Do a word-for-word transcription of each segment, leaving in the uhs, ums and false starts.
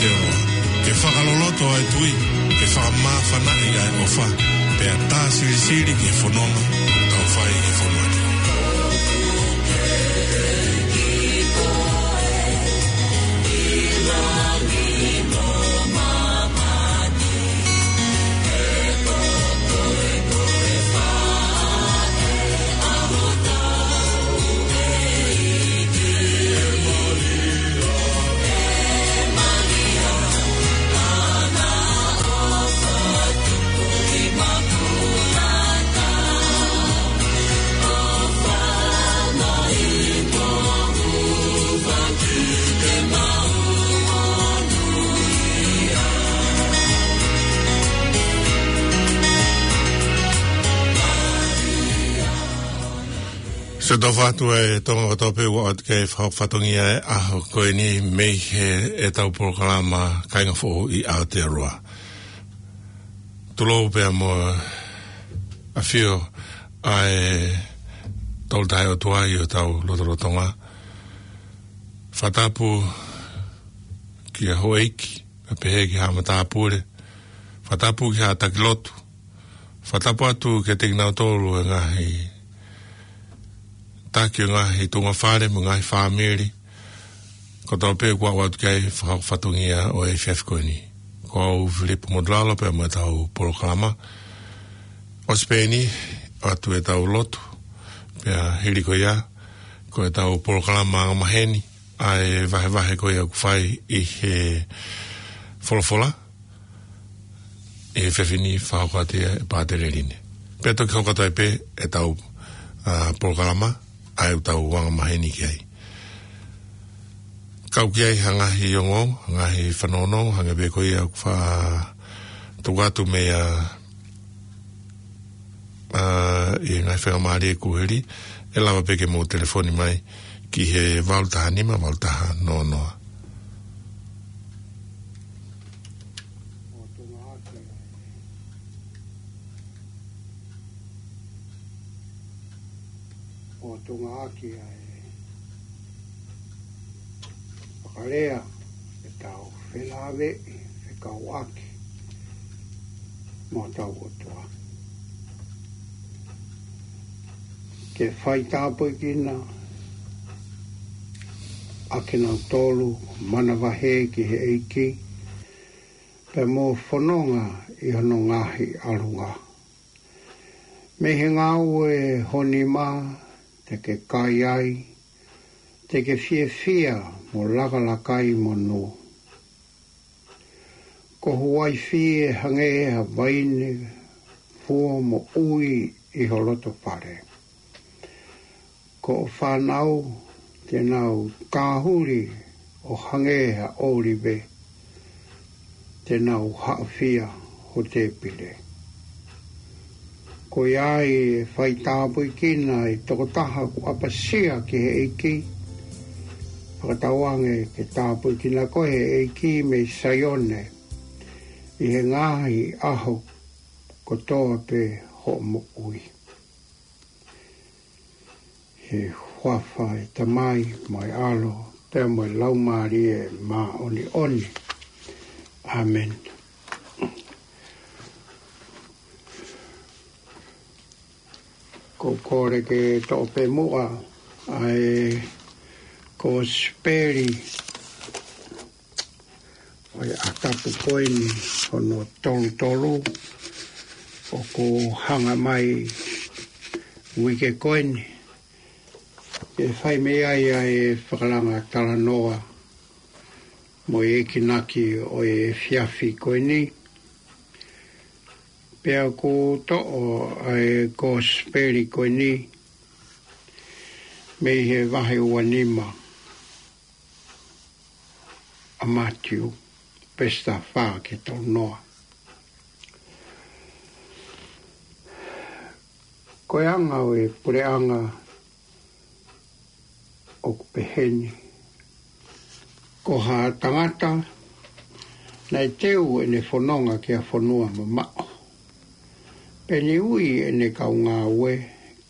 Te o ke fakaloloto ʻa e tui, ke fakamāfanaʻi ʻa e ʻofa, pea tā silisili ki he fononga ʻoku tau fai he fonua ni. Sio atu ʻa e Tonga kotoa pē ʻoku ʻoatu ki ai e fatongia ʻo e ʻaho ko eni mei he ʻetau polokalama Kāinga Foʻou ʻi Aotearoa. Tulou pea mo e ʻafio ʻa e Tolu Tahaʻi ʻOtua ʻi hotau lotolotonga. Fakatapu ki he houʻeiki, pea pehē ki he haʻa matāpule. Fakatapu ki he haʻa taki lotu. Fakatapu atu kiate kinautolu e ngaahi taki ʻo e ngaahi tuʻunga fale mo e ngaahi fāmili kotoa pē ʻoku ʻoatu ki ai e fatongia ʻo e efiafi ko eni. Ko au Filipo Motulalo pea mo ʻetau polokalama. ʻOsi pē eni, ʻoatu ʻetau lotu. Pea hili ko ia, ko ʻetau polokalama angamaheni, ʻa e vahevahe ko ia ʻoku fai ʻi he folofola, ʻi he efiafi ni fakahoko atu ia ʻe Pātele Line. Pea toki hoko atu ai pē ʻetau, ʻa, polokalama, ʻa ia ʻoku tau angamaheni ki ai. Kau ki ai ha ngaahi ongoongo, ha ngaahi fanongonongo, hangē pē ko ia ʻoku fa-, tuku atu mei a, ʻa, ʻi he ngaahi faingamālie kuo hili, ʻe lava pē ke mou telefoni mai ki he valu taha nima, valu taha noa noa. ʻO Tonga ʻaki ʻa e, ʻo Tonga ʻaki ʻa e fakalea, ʻetau felāveʻi, fekauʻaki mo hotau ʻOtua. Ke fai tāpuekina ʻa kinautolu manavahē ki he ʻEiki, pea mo fononga ʻi hono ngaahi ʻalunga. Mei he ngāue ho nima te ke kai ai, te ke fiefia mo lakalaka ai monū. Ko ho uaifi ʻe hangē ha vaine fuo moʻui ʻi ho loto fale. Ko hoʻo fānau te nau kāhuli ʻo hangē ha ʻōlive, te nau haʻofia ho tēpile. Ko ia ai ʻe fai tāpuekina ʻa e tokotaha kuo ʻapasia ki he ʻEiki. Fakatauange ke tāpuekina koe ʻe he ʻEiki mei Saione ʻi he ngaahi ʻaho kotoa pē hoʻo moʻui. ʻI he huafa ʻo e Tamai, mo e ʻAlo, pea mo e Laumālie Māʻoniʻoni. ʻĀmeni. ʻOku ou kole ke toʻo pē muʻa ʻa e Kosipeli ʻo e ʻaho tapu ko eni, hono tolu tolu, ʻoku hanga mai uike ko eni, ke fai mei ai ʻa e fakalanga talanoa mo e enginaki ʻo e efiafi ko eni. Pea ʻoku ou toʻo ʻa e Kosipeli ko eni mei he vahe ua nima ʻa Mātiu, veesi taha fā ki he tolu noa. Ko e anga ʻo e puleʻanga ʻoku peheni: Ko ha tangata naʻe teu ʻene fononga ki ha fonua mamaʻo, pea ne ui ʻene kau ngāue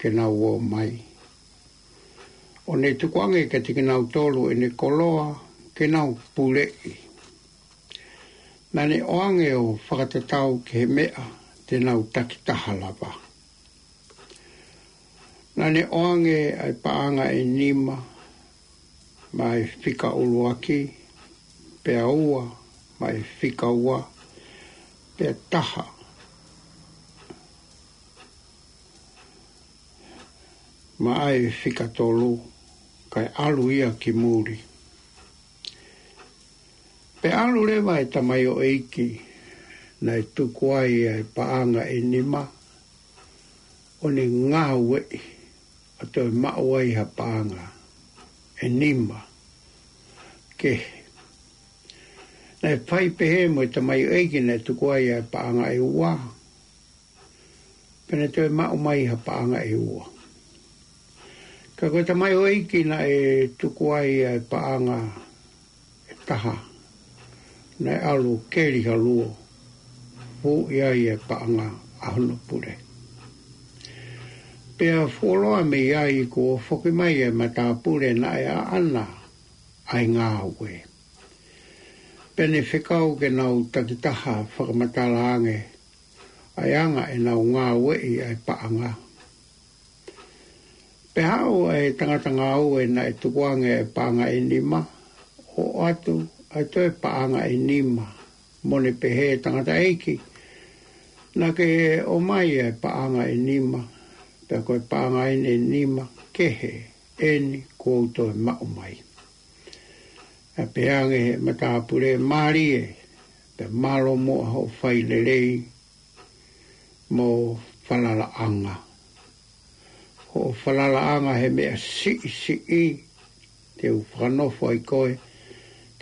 ke nau ō mai, ʻo ne tukuange kiate kinautolu ʻene koloa ke nau puleʻi. Naʻa ne ʻoange ʻo fakatatau ki he meʻa te nau takitaha lava. Naʻa ne ʻoange ʻa e paʻanga ʻe nima, maʻa e fika ʻuluaki, pea ua, maʻa e fika ua, pea taha, maʻa e fika tolu, kae ʻalu ia ki muli. Pea ʻalu leva e tamaioʻeiki naʻe tuku ai ʻa e paʻanga ʻe nima, ʻo ne ngāueʻi ʻo toe maʻu ai ha paʻanga ʻe nima kehe. Naʻe fai pehē mo e tamaioʻeiki naʻe tuku ai ʻa e paʻanga ʻe ua, pea ne toe maʻu mai ha paʻanga ʻe ua. Ka ko e tamaioʻeiki naʻe tuku ai ʻa e paʻanga ʻe taha, naʻe ʻalu keli ha luo, fuʻu ʻi ai e paʻanga ʻa hono pule. Pea fuoloa mei ai kuo foki mai e matāpule naʻe ʻaʻana ʻa e ngāue. Pea ne fekau ke nau takitaha fakamatala ange ʻa e anga ʻenau ngāueʻi ʻa e paʻanga. Pea haʻu ʻa e tangata ngāue naʻe tuku ange ʻa e paʻanga ʻe nima, ʻo ʻoatu ʻa e toe paʻanga ʻe nima, mo ne pehē, tangataʻeiki, naʻa ke ʻomai ʻa e paʻanga ʻe nima, pea ko e paʻanga eni ʻe nima kehe eni kuo u toe maʻu mai. ʻA pehē ange he matāpule, mālie, pea mālō muʻa hoʻo fai lelei mo falalaʻanga. Hoʻo falalaʻanga he meʻa siʻisiʻi, te u fakanofo ai koe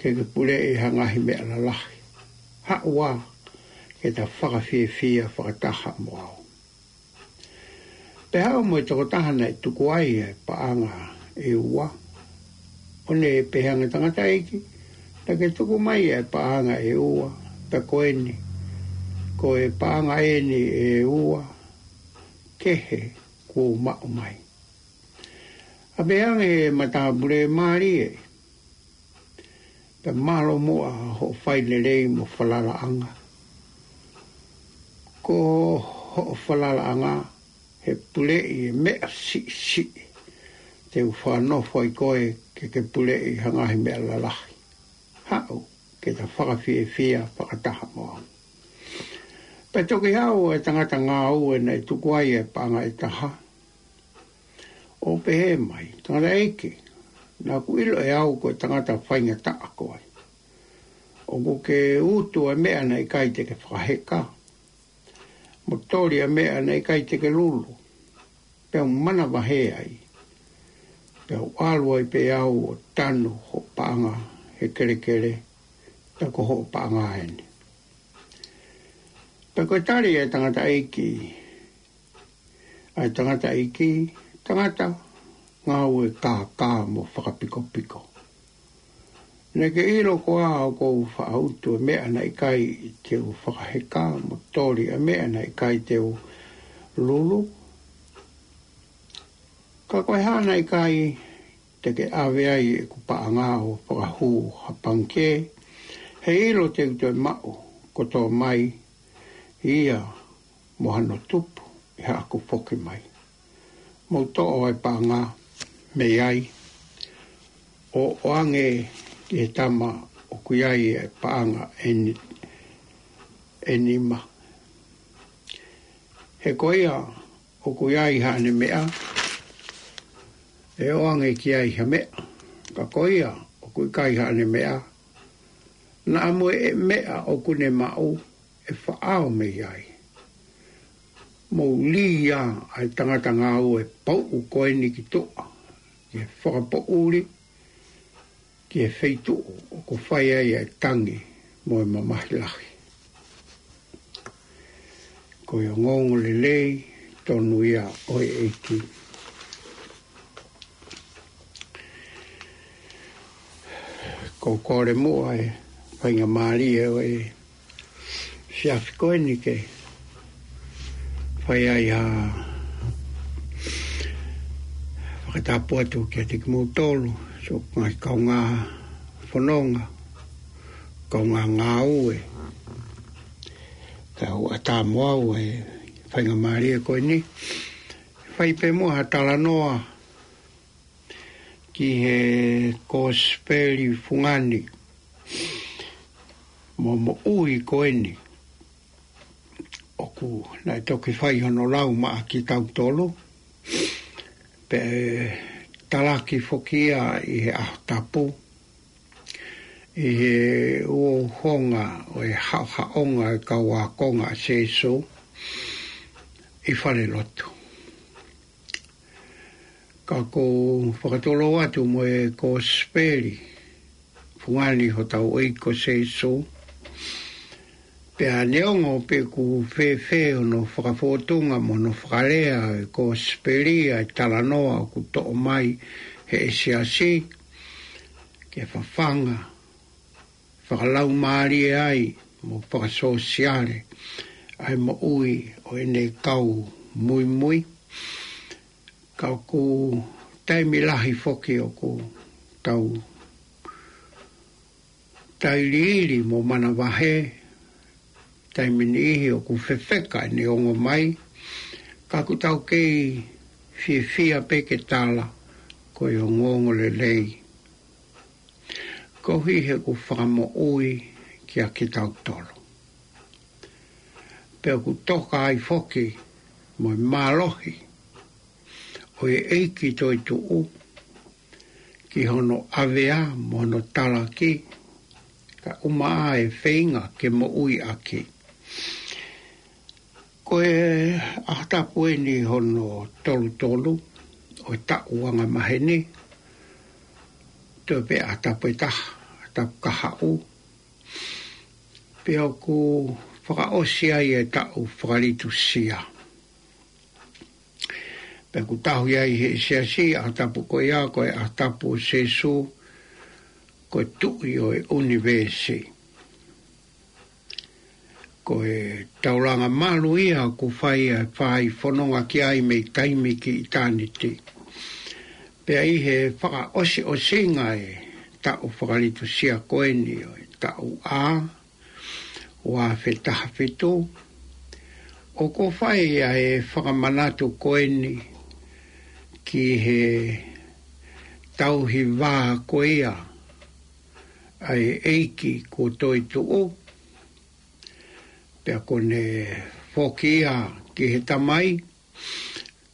ke ke puleʻi ha ngaahi meʻa lalahi. Haʻu ā ke ta fakafiefia fakataha mo au. Pea haʻu mo e tokotaha naʻe tuku ai ʻa e paʻanga ʻe ua, ʻo ne pehē ange, tangataʻeiki, naʻa ke tuku mai ʻa e paʻanga ʻe ua, pea ko eni, ko e paʻanga eni ʻe ua kehe kuo u maʻu mai. ʻA pehē ange he matāpule, mālie, pea mālō muʻa hoʻo fai lelei mo falalaʻanga. Ko hoʻo falalaʻanga he puleʻi e meʻa siʻisiʻi, te u fakanofo ai koe ke ke puleʻi ha ngaahi meʻa lalahi. Haʻu ke ta fakafiefia fakataha mo au. Pea toki haʻu e tangata ngāue naʻe tuku ai e paʻanga ʻe taha, ʻo pehē mai, tangataʻeiki, naʻa ku ʻilo ʻe au ko e tangata faingataʻa koe. ʻOku ke utu ʻa e meʻa naʻe ʻikai te ke fakaheka, mo toli ʻa e meʻa naʻe ʻikai te ke lulu, pea u manavahē ai, pea u ʻalu ai pē au ʻo tanu hoʻo paʻanga he kelekele, pea ko hoʻo paʻanga eni. Pea ko e tali ʻa e tangataʻeiki, ʻa e tangataʻeiki, tangata ngāue kākā mo fakapikopiko. Naʻa ke ʻilo koā ʻoku ou faʻa utu e meʻa naʻe ʻikai te u fakaheka mo toli ʻa e meʻa naʻe ʻikai te u lulu? Ka ko e hā naʻe ʻikai te ke ʻave ai ʻeku paʻanga ʻo fakahū ha pangikē, he ʻilo te u toe maʻu kotoa mai ia mo hano tupu ʻi haʻaku foki mai. Mou toʻo ʻa e paʻanga mei ai, ʻo ʻoange ki he tama ʻoku ʻi ai e paʻanga ʻe ni-, ʻe nima. He ko ia ʻoku ʻi ai haʻane meʻa, ʻe ʻoange ki ai ha meʻa. Ka ko ia ʻoku ʻikai haʻane meʻa, naʻa mo e meʻa ʻoku ne maʻu ʻe faʻao mei ai. Mou lī ā ʻa e tangata ngāue pauʻu ko eni ki tuʻa, ki he fakapoʻuli, ki he feituʻu ʻoku fai ai ʻa e tangi mo e mamahi lahi. Ko e ongoongolelei tonu ia ʻo e ʻEiki. Ko e kole muʻa e faingamālie ʻo e siafi ko eni ke fai ai ha fakatapu atu kiate kimoutolu, siʻoku ngaahi kaungā fononga, kaungā ngāue, Tau ʻatā mo au e faingamālie ko eni. Fai pē muʻa ha talanoa ki he kosipeli fungani mo moʻui ko eni. ʻOku naʻe toki fai hono lau maʻa kitautolu. Pea talaki foki ia ʻi he ʻaho tapu. ʻI he uouhonga ʻo e haʻohaʻonga e kau ākonga ʻa Sēsū ʻi fale lotu. Ka ʻoku ou fakatulou atu mo e kosipeli fungani hotau ʻEiki ko Sēsū. Pea neongo pe ʻoku fēfē hono fakafōtunga mo hono fakalea e kosipeli ʻa e talanoa ʻoku toʻo mai he siasi, ke fafanga, fakalaumālie ai, mo fakasōsiale ʻa e moʻui ʻo ʻene kau muimui. Ka ʻoku taimi lahi foki ʻoku tau tailiili mo manavahē, taimi niʻihi ʻoku fefeka ʻene ongo mai, ka ʻoku tau kei fiefia pē ke tala ko e ongoongolelei. Koeʻuhi he ʻoku fakamoʻui kiate kitautolu. Pea ʻoku toka ai foki mo e mālohi ʻo e ʻEiki toetuʻu ki hono ʻavea mo hono talaki, kae ʻumaʻā e feinga ke moʻui ʻaki. Ko e ʻaho tapu eni hono tolutolu ʻo e taʻu angamaheni, toe pē ʻaho tapu ʻe taha, ʻaho tapu kahaʻu. Pea ʻoku fakaʻosi ai e taʻu fakalitusia. Pea ʻoku tauhi ai he siasi ʻaho tapu ko ia, ko e ʻaho tapu ʻo Sēsū, ko e Tuʻi ʻo e ʻunivēsi. Ko e taulanga malu ia ʻoku fai ʻa e fai fononga ki ai mei taimi ki ʻitāniti. Pea ʻi he fakaʻosiʻosinga e taʻu fakalitusia ko eni ʻo e taʻu ʻa ua afe taha fitu, ʻoku fai ʻa e fakamanatu ko eni ki he tauhi vā ko ia ʻa e ʻEiki kuo toetuʻu, pea kuo ne foki ia ki he Tamai,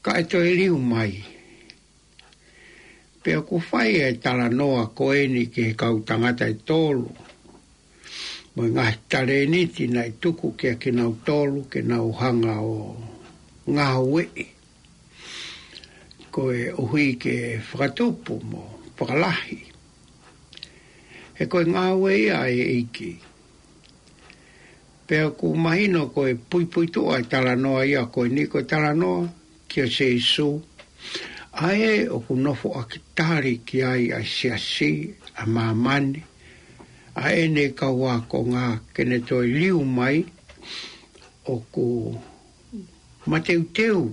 kae toe liu mai. Pea ʻoku fai e talanoa ko eni ki he kau tangata ʻe tolu mo e ngaahi talēniti naʻe tuku kiate kinautolu ke nau hanga ʻo ngāueʻi, koeʻuhi ke fakatupu mo fakalahi. He ko e ngāue ia ʻa e ʻEiki. Pea ʻoku mahino ko e puipuituʻa e talanoa ia ko eni, ko e talanoa kia Sēsū, ʻa ē ʻoku nofo ʻaki tali ki ai ʻa e siasi ʻa māmani, ʻa ʻene kau ākonga, ke ne toe liu mai ʻoku mateuteu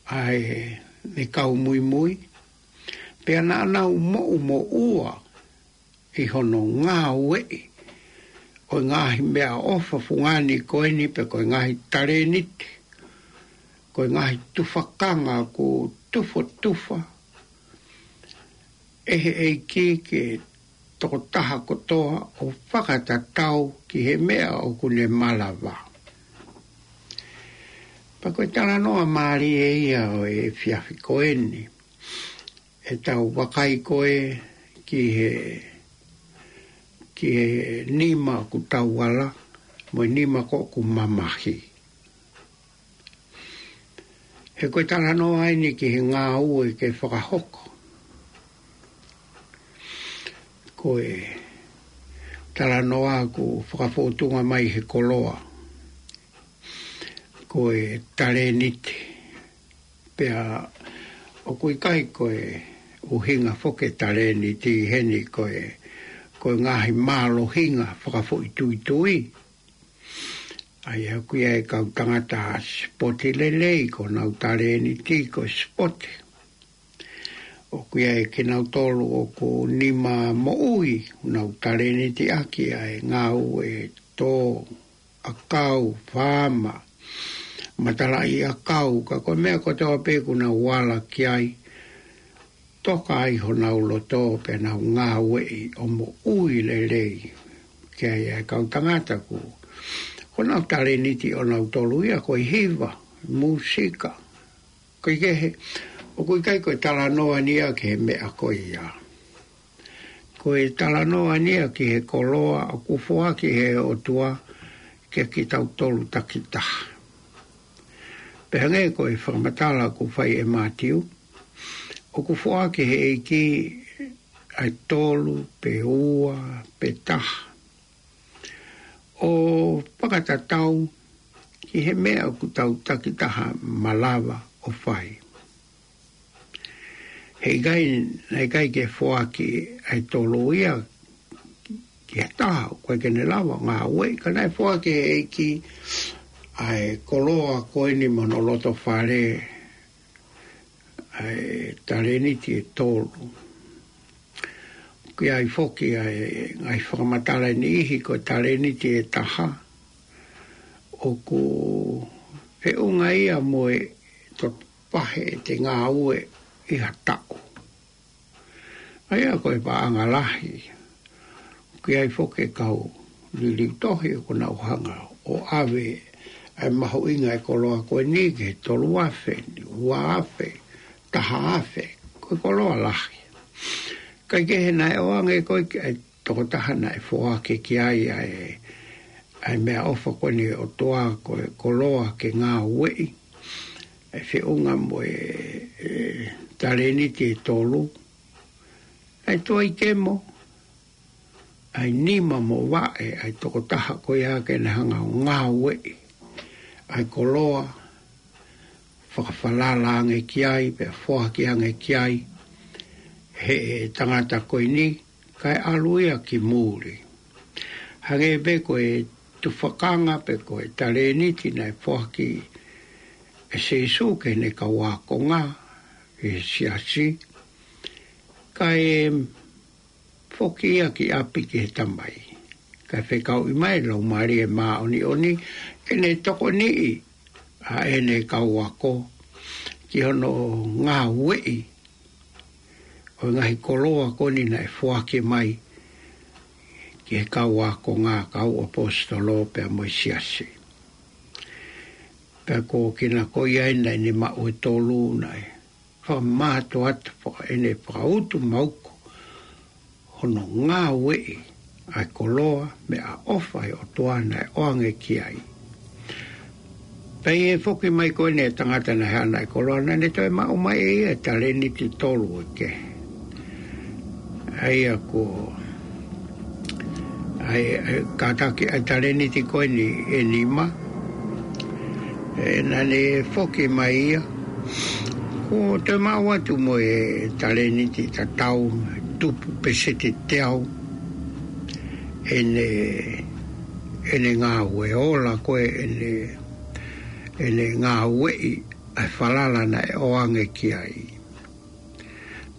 ʻa ʻene kau muimui, pea naʻa nau moʻumoʻua ʻi hono ngāueʻi ʻo e ngaahi meʻaʻofa fungani ko eni, pe ko e ngaahi talēniti, ko e ngaahi tufakanga ʻoku tufotufa ʻe he ʻEiki ki he tokotaha kotoa ʻo fakatatau ki he meʻa ʻoku ne malava. Pea ko e talanoa mālie ia ʻo e efiafi ko eni. ʻE tau vakai ko ē ki he, ki he nima ʻoku tauala, mo e nima ko ē ʻoku mamahi. He ko e talanoa eni ki he ngāue ke fakahoko. Ko e talanoa ʻoku fakafōtunga mai he koloa. Ko e talēniti. Pea ʻoku ʻikai ko e ʻuhinga foki e talēniti heni ko e, ko e ngaahi mālohinga fakafoʻituitui. ʻA ia ʻoku ʻi ai e kau tangata sipote lelei ko honau talēniti ko e sipote. ʻOku ʻi ai kinautolu ʻoku nima moʻui, nau talēniti ʻaki ʻa e ngāue tō ʻakau, faama, matalaʻiʻakau, ka ko e meʻa kotoa pē kuo nau ala ki ai, toka ai honau loto pea nau ngāueʻi ʻo moʻui lelei. Ki ai ʻa e kau tangata kuo, ko honau talēniti ʻonautolu ia, ko e hiva, mūsika. Ko e kehe, ʻoku ʻikai ko e talanoa eni ia ki he meʻa ko ia. Ko e talanoa eni ia ki he koloa ʻoku foaki ʻe he ʻOtua kiate kitautolu takitaha. Pea hangē ko e fakamatala ʻoku fai ʻe Mātiu, ʻoku foaki ʻe he ʻEiki ʻa e tolu, pe ua, pe taha, ʻo fakatatau ki he meʻa ʻoku tau takitaha malava ʻo fai. Heʻikai, naʻe ʻikai ke foaki ʻa e tolu ia ki ha taha ʻoku ʻikai ke ne lava ʻo ngāueʻi, ka naʻe foaki ʻe he ʻEiki ʻa e koloa ko eni mo hono loto fale, ʻa e talēniti ʻe tolu. ʻOku ʻi ai foki ʻa e ngaahi fakamatala ʻe niʻihi ko e talēniti ʻe taha, ʻoku feʻunga ia mo e toto pahe ʻe te ngāue ʻi ha taʻu. ʻA ia ko e paʻanga lahi. ʻOku ʻi ai foki e kau liliu tohi ʻoku nau hanga ʻo ʻave ʻa e mahuʻinga e koloa ko eni ki he tolu afe, ua afe, taha afe, ko e koloa lahi. Kae kehe naʻe ʻoange ko ē ki he tokotaha naʻe foaki ki ai ʻa e, ʻa e meʻaʻofa ko eni ʻa e ʻOtua ko e koloa ke ngāueʻi, ʻa e feʻunga mo e, e talēniti ʻe tolu, ʻa e tuai kemo, ʻa e nima mo vaʻe ʻa e tokotaha ko ia ke ne hanga ʻo ngāueʻi ʻa e koloa, fakafalala ange ki ai, pea foaki ange ki ai ʻe he tangata ko eni, kae ʻalu ia ki muli. Hangē pē ko e tufakanga pe ko e talēniti naʻe foaki ʻe Sīsū ki heʻene kau ākonga ʻi he siasi, kae foki ia ki ʻapi ki he Tamai. Kae fekauʻi mai e Laumālie Māʻoniʻoni ke ne tokoniʻi ʻa ʻene kau ako ki hono ngāueʻi ʻo e ngaahi koloa ko eni naʻe foaki mai ki he kau ākonga, kau ʻaposetolo pea mo e siasi. Pea ko kinautolu ko ia naʻa ne maʻu e tolu naʻe fakamātoato faka-, ʻene fakautu mauku hono ngāueʻi ʻa e koloa meʻaʻofa ʻa e ʻOtua naʻe ʻoange ki ai. Pea ʻi he foki mai ko eni e tangata naʻe haʻana e koloa, naʻa ne toe maʻu mai ʻe ia e talēniti ʻe tolu ʻe kehe. ʻA ia ko, ʻa e, ʻa e kātaki ʻa e talēniti ko eni ʻe nima, ʻe, naʻa ne foki mai ia, kuo toe maʻu atu mo e talēniti tatau, tupu peseti teau ʻene, ʻene ngāue, ola ko ē ʻene, ʻene ngāueʻi ʻa e falala naʻe ʻoange ki ai.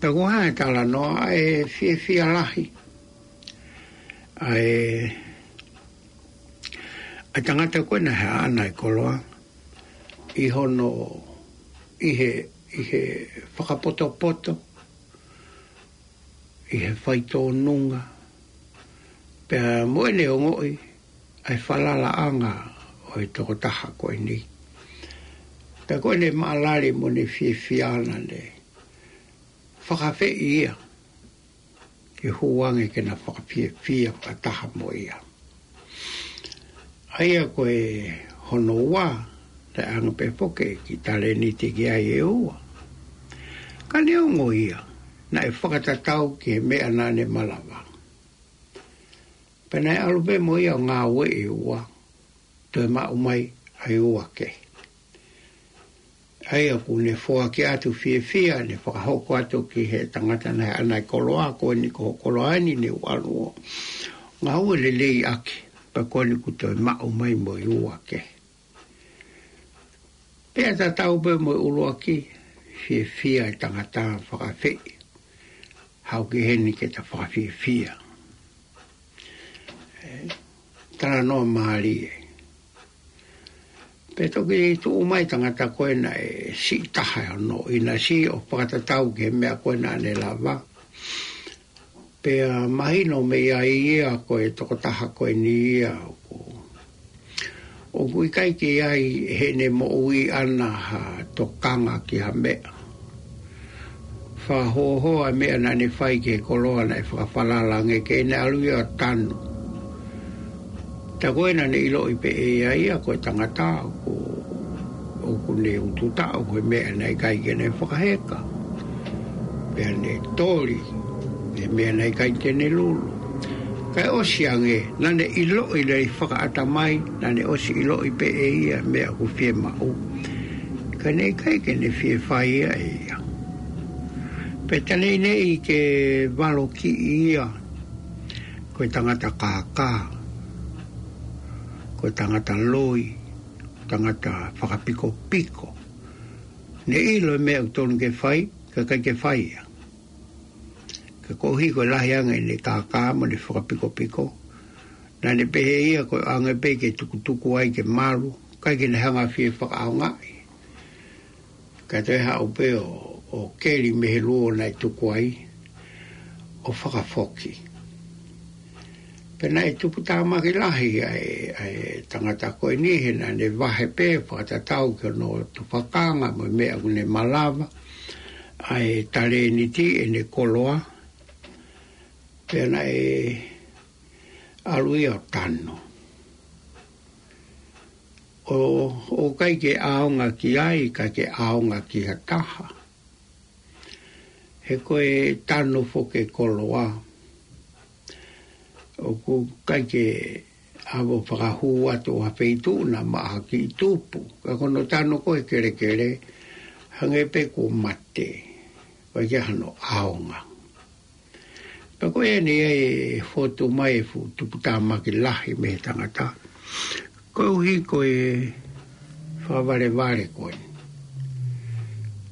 Pea ko e hā e talanoa? ʻA e fiefia lahi ʻa e, ʻa e tangata ko ē naʻe haʻana e koloa ʻi hono, ʻi he, ʻi he fakapotopoto, ʻi he faitōnunga, pea mo ʻene ongoʻi ʻa e falalaʻanga ʻo e tokotaha ko eni. Pea ko ʻene maʻalali mo ʻene fiefia naʻa ne fakaafeʻi ia ke hū ange ke na fakafiefia fakataha mo ia. ʻA ia ko e hono ua, naʻe ʻoange pē foki e kiʻi talēniti ki ai ʻe ua. Ka neongo ia, naʻe fakatatau ki he meʻa naʻa ne malava. Pea naʻe ʻalu pē mo ia ʻo ngāueʻi ʻe ua, toe maʻu mai ʻa e ua kehe. ʻA ia kuo ne foaki atu fiefia, ne fakahoko atu ki he tangata naʻe haʻana e koloa, ko eni ko hoʻo koloa eni, ne u ʻalu ʻo ngāue lelei ʻaki, pea ko eni kuo toe maʻu mai mo e ua kehe. Pea tatau pē mo e ʻuluaki, fiefia e tangata, fakaafeʻi. Haʻu ki heni ke ta fakafiefia. ʻE, talanoa mālie. Pea toki tuʻu mai tangata ko ē naʻe siʻi taha hono ʻinasi ʻo fakatatau ki he meʻa ko ē naʻa ne lava. Pea mahino mei ai ia ko e tokotaha ko eni ia ʻoku, ʻoku ʻikai ke ʻi ai heʻene moʻui ʻana ha tokanga ki ha meʻa. Fakahōhō ʻa e meʻa naʻa ne fai ki he koloa naʻe fakafalala ange ke ne ʻalu ia ʻo tanu. Tā ko ē naʻa ne ʻiloʻi pē ʻe ia ia ko e tangata ʻoku, ʻoku ne utu taʻu he meʻa naʻe ʻikai ke ne fakaheka. Pea ne toli he meʻa naʻe ʻikai ke ne lulu. Kae ʻosi ange, naʻa ne ʻiloʻi lelei fakaʻatamai, naʻa ne ʻosi ʻiloʻi pē ʻe ia meʻa ʻoku fiemaʻu. Ka naʻe ʻikai ke ne fie fai ia ʻe ia. Pea tā naʻe ʻi ai ke valokiʻi ia, ko e tangata kākā, ko e tangata loi, tangata fakapikopiko. Ne ʻilo e meʻa ʻoku tonu ke fai, ka ʻikai ke fai ia. Ka koeʻuhi ko e lahi ange ʻene kākā mo ʻene fakapikopiko, naʻa ne pehē ia ko e ʻoange pē ke tukutuku ai ke malu, ʻikai ke ne hanga fie fakaʻaongaʻi. Ka toe haʻu pē ʻo, ʻo keli mei he luo naʻe tuku ai, ʻo fakafoki. Pea naʻe tuputāmaki lahi ʻa e, ʻa e tangata ko eni he naʻa ne vahe pē fakatatau ki hono tufakanga mo e meʻa ʻoku ne malava, ʻa e talēniti ʻene koloa, pea naʻe ʻalu ia ʻo tanu. ʻO, ʻoku ʻikai ke ʻaonga ki ai, ʻikai ke ʻaonga ki ha taha. He ko e tanu foki e koloa, ʻoku ʻikai ke ʻave ʻo fakahū atu ʻo ha feituʻu naʻa maʻa ha kiʻi tupu. Ka ko hono tanu ko ē he kelekele, hangē pē kuo mate, ʻikai ke ʻi ai hano ʻaonga. Pea ko eni ʻe fotu mai e fuʻu tuputāmaki lahi mei he tangata. Koeʻuhi ko e fakavalevale ko ē.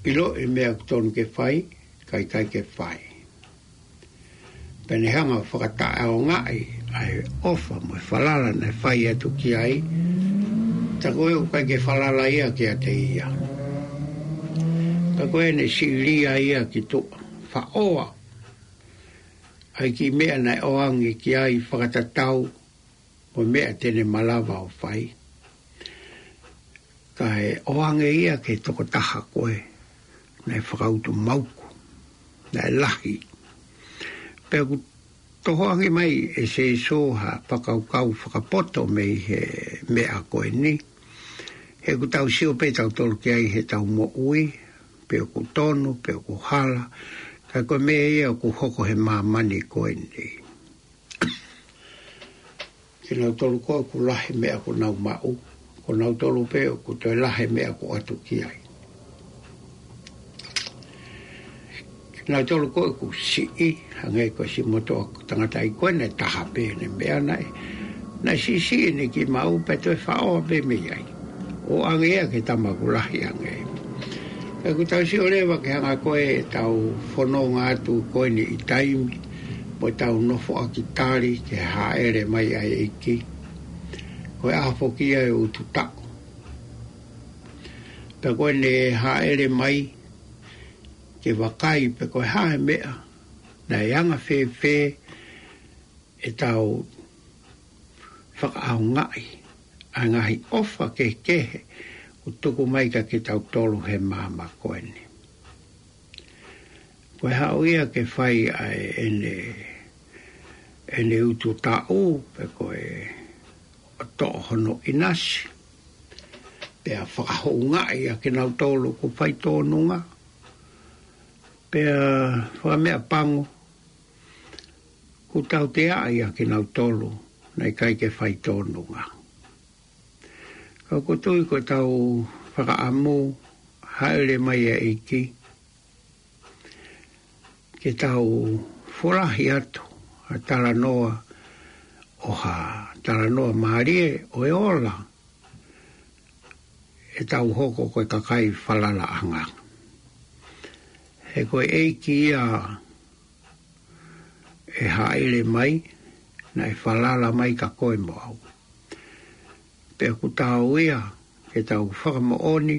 ʻIloʻi e meʻa ʻoku tonu ke fai, ka ʻikai ke fai. Pea ne hanga ʻo fakataʻeʻaongaʻi ʻa e ʻofa mo e falala naʻe fai atu ki ai. Tā ko ē ʻoku ʻikai ke falala ia kiate ia. Tā ko ē ne siʻilia ia ki tuʻa. Faʻoa ʻa e kiʻi meʻa naʻe ʻoange ki ai fakatatau mo e meʻa te ne malava ʻo fai. Kae ʻoange ia ki he tokotaha ko ē naʻe fakautu mauku, naʻe lahi. Pea ʻoku tohoakiʻi mai ʻe Sēsū ha fakakaukau fakapoto mei he meʻa ko eni. He ʻoku tau sio pē tautolu ki ai heʻetau moʻui, pe ʻoku tonu, pe ʻoku hala, ka ko e meʻa ia ʻoku hoko he māmani ko eni. Kinautolu ko ē ʻoku lahi meʻa ʻoku nau maʻu, ko kinautolu pē ʻoku toe lahi meʻa ʻoku ʻoatu ki ai. Kinautolu ko ē ʻoku siʻi, hangē ko e siʻi motuʻa tangata ʻi ko ē naʻe taha pē ʻene meʻa naʻe, naʻe siʻisiʻi ʻene kiʻi maʻu pea toe faʻoa pē mei ai. ʻOange ia ki he tama ʻoku lahi ange. Pea ʻoku tau sio leva ki he anga ko ē ʻetau fononga atu ko eni ʻi taimi, mo ʻetau nofoʻaki tali ki he hāʻele mai ʻa e ʻEiki. Ko e ʻaho foki ia ʻe utu taʻu. Pea ko ʻene hāʻele mai ke vakai pe ko e hā e meʻa, naʻe anga fēfē ʻetau fakaʻaongaʻi ʻa e ngaahi ʻofa kehekehe ʻoku tuku mai kiate kitautolu he māmani ko eni. Ko e haʻu ia ke fai ʻa ʻene, ʻene utu taʻu, pe ko e ʻo toʻo hono ʻinasi, pea fakahoungaʻi ʻa kinautolu ʻoku fai tōnunga, pea fakameʻapango, ʻoku tauteaʻi ʻa kinautolu naʻe ʻikai ke fai tōnunga. Ka ʻoku ou tui ko ʻetau fakaʻamu hāʻele mai ʻa e ʻEiki, ke tau folahi atu ha talanoa, ʻo ha talanoa mālie ʻo e ola, ʻetau hoko ko e kakai falalaʻanga. He ko e ʻEiki ia ʻe hāʻele mai, naʻe falala mai kia koe mo au. Pea ʻoku tau ia ke tau fakamoʻoni,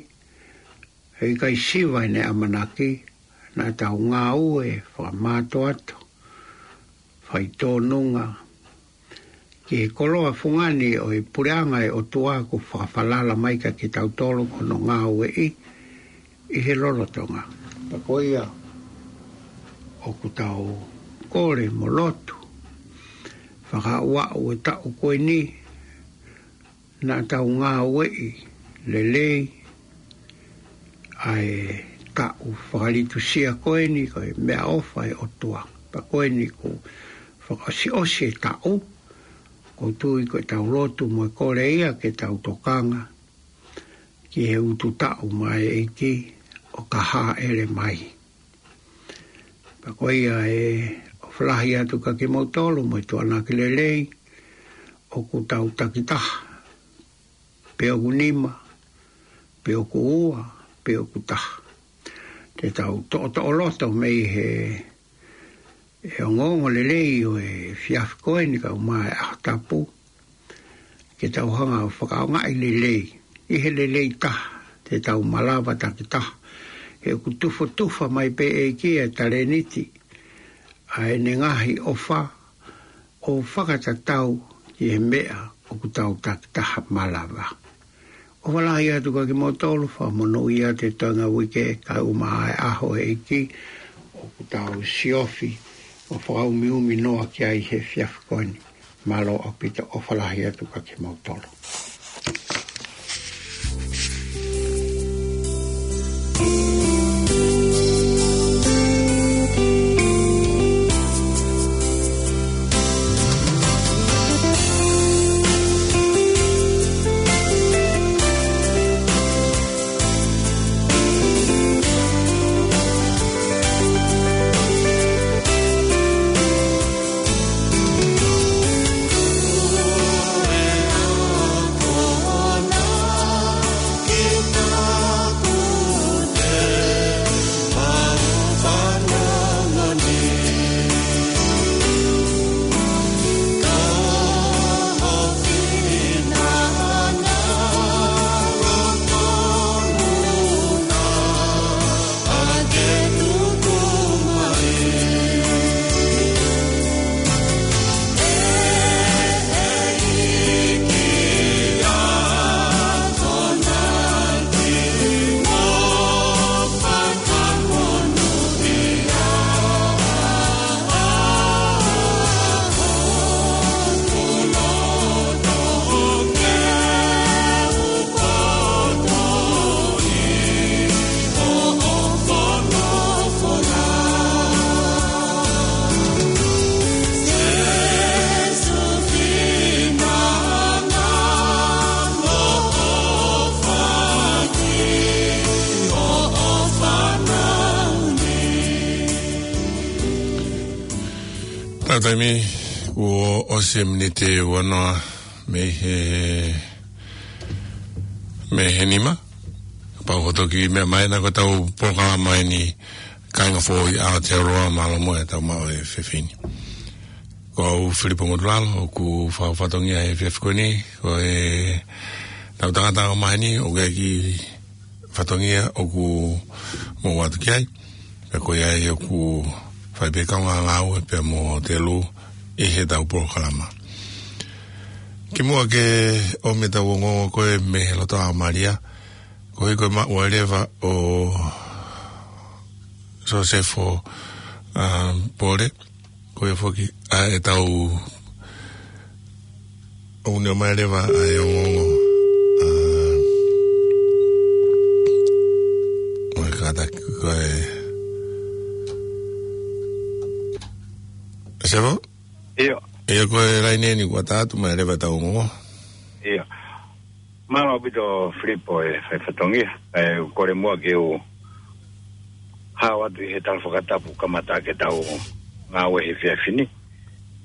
he ʻikai siva ʻene ʻamanaki, naʻa tau ngāue fakamātoato, faitōnunga, ki he koloa fungani ʻo e puleʻanga ʻo e ʻOtua kuo fakafalala mai kiate kitautolu ko hono ngāueʻi ʻi he lolotonga. Pea ko ia ʻoku tau kole mo lotu, fakaaʻu ʻa e taʻu ko eni, naʻa tau ngāueʻi lelei ʻa e taʻu fakalitusia ko eni, ko e meʻaʻofa ʻa e ʻOtua. Pea ko eni kuo fakaʻosiʻosi e taʻu, ʻoku ou tui ko ʻetau lotu mo e kole ia ke tau tokanga ki he utu taʻu mai ʻEiki ʻoka hāʻele mai. Pea ko ia ʻe ʻofa lahi atu kiate kimoutolu mo e tuʻuaki lelei, ʻoku tau takitaha, pe ʻoku nima, pe ʻoku ua, pe ʻoku taha. Te tau toʻotoʻo loto mei he, he ongoongo lelei ʻo e efiafi ko eni kae ʻumaʻā e ʻaho tapu, ke tau hanga ʻo fakaʻaongaʻi lelei, ʻi he lelei taha, te tau malava takitaha, he ʻoku tufotufa mai pē ʻe he ʻEiki e talēniti, ʻa ʻene ngaahi ʻofa, ʻo fakatatau ki he meʻa ʻoku tau takitaha malava. ʻOfa lahi atu kiate kimoutolu, fakamonūʻia atu e toenga uike kae ʻumaʻā e ʻaho ʻEiki, ʻoku tau siofi, ʻo fakaumiumi noa ki ai he efiafi ko eni. Mālō ʻaupito, ʻofa lahi atu kiate kimoutolu. Tau taimi, kuo ʻosi e miniti ua noa mei he, mei he nima. Pau hoto ki meʻa mai na ko ʻetau polokalama eni, Kāinga Foʻou ʻi Aotearoa, mālō muʻa e tau maʻu e efiafi ni. Ko au Filipo Ngotulalo, ʻoku fakafatongia he efiafi ko eni, ko e tau tangata ʻo maheni, ʻoku ʻi ai e kiʻi fatongia ʻoku mou ʻatu ki ai. Pea ko ia ai ʻoku fai pē kaungā ngāue pea mo Telu ʻi he tau polokalama. Kimuʻa ke ʻomi e tau ongoongo ko ē mei he loto ʻa Malia, ko e ko e maʻu ʻa e leva ʻo Sosefo, um, Pole, ko e foki, ʻa e tau ʻo ʻunia mai leva ʻa e ongoongo. ʻA, ʻo e kātaki ko e. Sefo? ʻIo. ʻIo, ko e laine ni kuo tā atu mai leva e tau ongoongo. ʻIo. Mālō ʻaupito Filipo e fai fatongia. ʻE, kole muʻa ke u hao atu ʻi he tala fakatapu kamata ke tau ngāue he efiafi ni.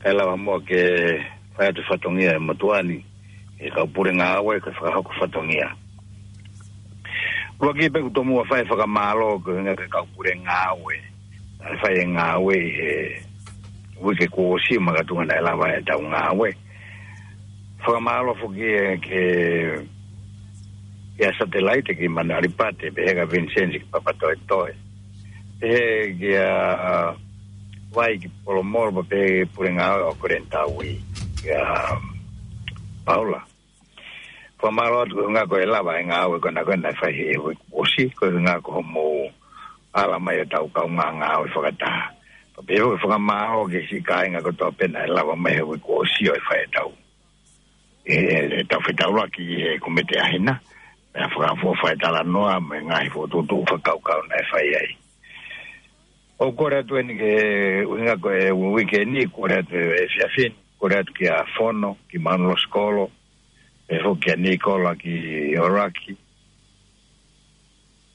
Kae lava muʻa ke fai atu fatongia e motuʻa ni, e kau pule ngāue, ke fakahoko fatongia. Ua ki pe ku tomuʻa fai fakamālō ko e ngaahi kau pule ngāue. ʻA e fai e ngāue ʻi he uike kuo ʻosi makatuʻunga naʻe lava e tau ngāue. Fakamālō foki e ke Kia Satelaite ki Manuʻalipate, pehē kia Vincent ki Papatoetoe. Pehē kia Vai ki Polomolo, pea pehē ki he pule ngāue ʻo Koleni Taui, kia Paula. Fakamālō atu ko e ʻuhinga ko e lava e ngāue ko ena ko ena naʻe fai he uike kuo ʻosi, ko e ʻuhinga ko hoʻomou ala mai ʻetau kaungā ngāue fakataha. Pea pehē foki e fakamālō ki he siʻi kāinga kotoa pē naʻe lava mai he uike kuo ʻosi ʻo e fai ʻetau, e, e, ʻetau fetaulaki ʻi he Kōmiti ʻAhina, pea fakafoʻou fai talanoa mo e ngaahi fokotuʻutuʻu fakakaukau naʻe fai ai. ʻOku kole atu eni ki he ʻuhinga ko e uike ni, kole atu he efiafi ni, kole atu kia Fono ki Manuʻa Sikolo, pehē foki kia Nikola ki ʻOlaki,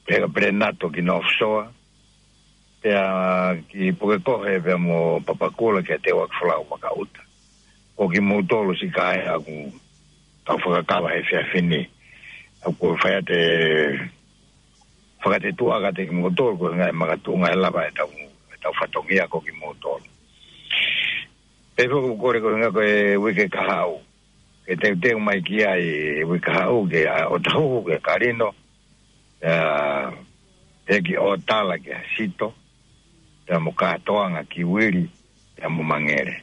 pehē kia Pelenato ki North Shore, pea ki Pukekohe pea mo Papakura kia Teuaki Folau Makaʻuta. Ko kimoutolu siʻi kāinga ʻoku tau fakakava he efiafi ni, ʻoku fai atu e fakatetuʻa kiate kimoutolu, ko e ʻuhinga e makatuʻunga e lava ʻetau, ʻetau fatongia ko kimoutolu. Pehē foki ʻoku kole ko e ʻuhinga ko e uike kahaʻu, ke teuteu mai ki ai e uike kahaʻu, kia ʻOtahuhu, kia Kalino, ʻa, pehē ki ʻOtala, kia Sito, pea mo Katoanga, ki Uili, pea mo Mangele.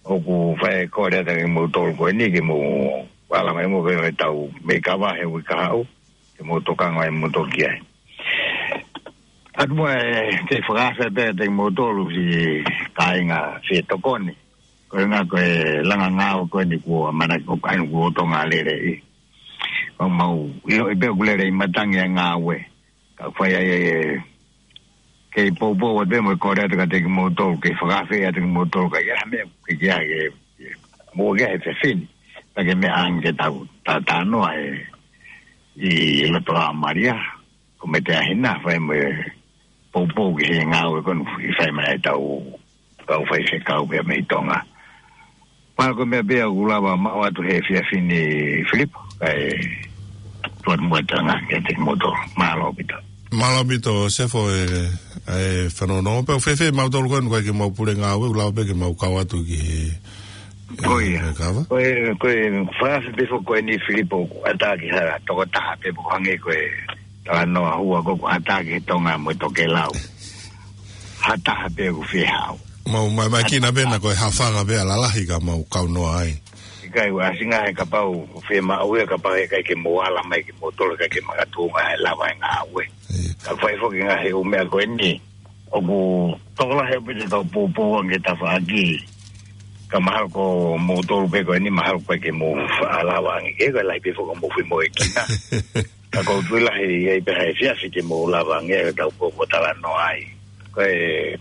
ʻOku fai e kole atu kiate kimoutolu ko eni ke mou ala mai mo pehē ʻetau meʻi kava he uike kahaʻu, ke mou tokanga ai moutolu ki ai. ʻAtu muʻa e, ke fakaafe pē kiate kimoutolu siʻi kāinga fie tokoni. Ko e ʻuhinga ko e langa ngāue ko eni kuo ʻamanaki ko e kāinga kuo tonga lele ʻi. Mau, mau, ʻio, ʻi pē ʻoku lele ʻi matangi e ngāue. Ka fai ai e, kei poupou atu pē mo e kole atu kiate kimoutolu, ke fakaafe atu kimoutolu, ka ʻi ai ha meʻa, ke, ke, ke, ke, mou ke he fefini. Ka ke meʻa ange ke tau, ta, talanoa e, ʻi loto ʻa Malia, Kōmiti ʻAhina, fai mo e poupou ki he ngāue ko eni ʻoku fai mai ʻetau kau faifekau pea mei Tonga. Pea ko e meʻa pē ia ʻoku lava maʻu atu he efiafi ni Filipo, kae tuat muatanga kiate kimoutolu. Mālō ʻaupito. Mālō ʻaupito, Sefo, e, e fanongo. Pea ʻoku fēfē mautolu ko eni, ʻoku ʻikai ke mau pule ngāue, ʻoku lava pē ke mau kau atu ki he, Ko ia. Ko e kava? Ko e, ko e, fakaafe pē foki ko eni Filipo, ʻoku ʻatā ke ha tokotaha pē, ʻoku hangē ko e talanoa hua ko ē, ʻoku ʻatā ki he Tonga mo e tokelau. Ha taha pē ʻoku fie haʻu. Mau, mai, mai kina pē na ko e hafanga pē ʻa lalahi ka mau kau noa ai. ʻIkai, ʻoku ʻasi ngaahi kapau, ʻoku fiemaʻu ia kapau heʻikai ke mou ala mai kimoutolu, ʻikai ke makatuʻunga e lava e ngāue. Ia. Ka fai foki ngaahi ʻū meʻa ko eni. ʻOku tokolahi ʻaupito ʻetau poupou ange tafaʻaki. Ka mahalo ko moutolu pē ko eni mahalo ko e ke mou faʻa lava ange ke ko e lahi pē foki mou fie moʻui kina. Ka ʻoku ou tui lahi ʻe ʻi ai pē ha efiafi ke mou lava ange ʻetau poupou talanoa ai. Ko e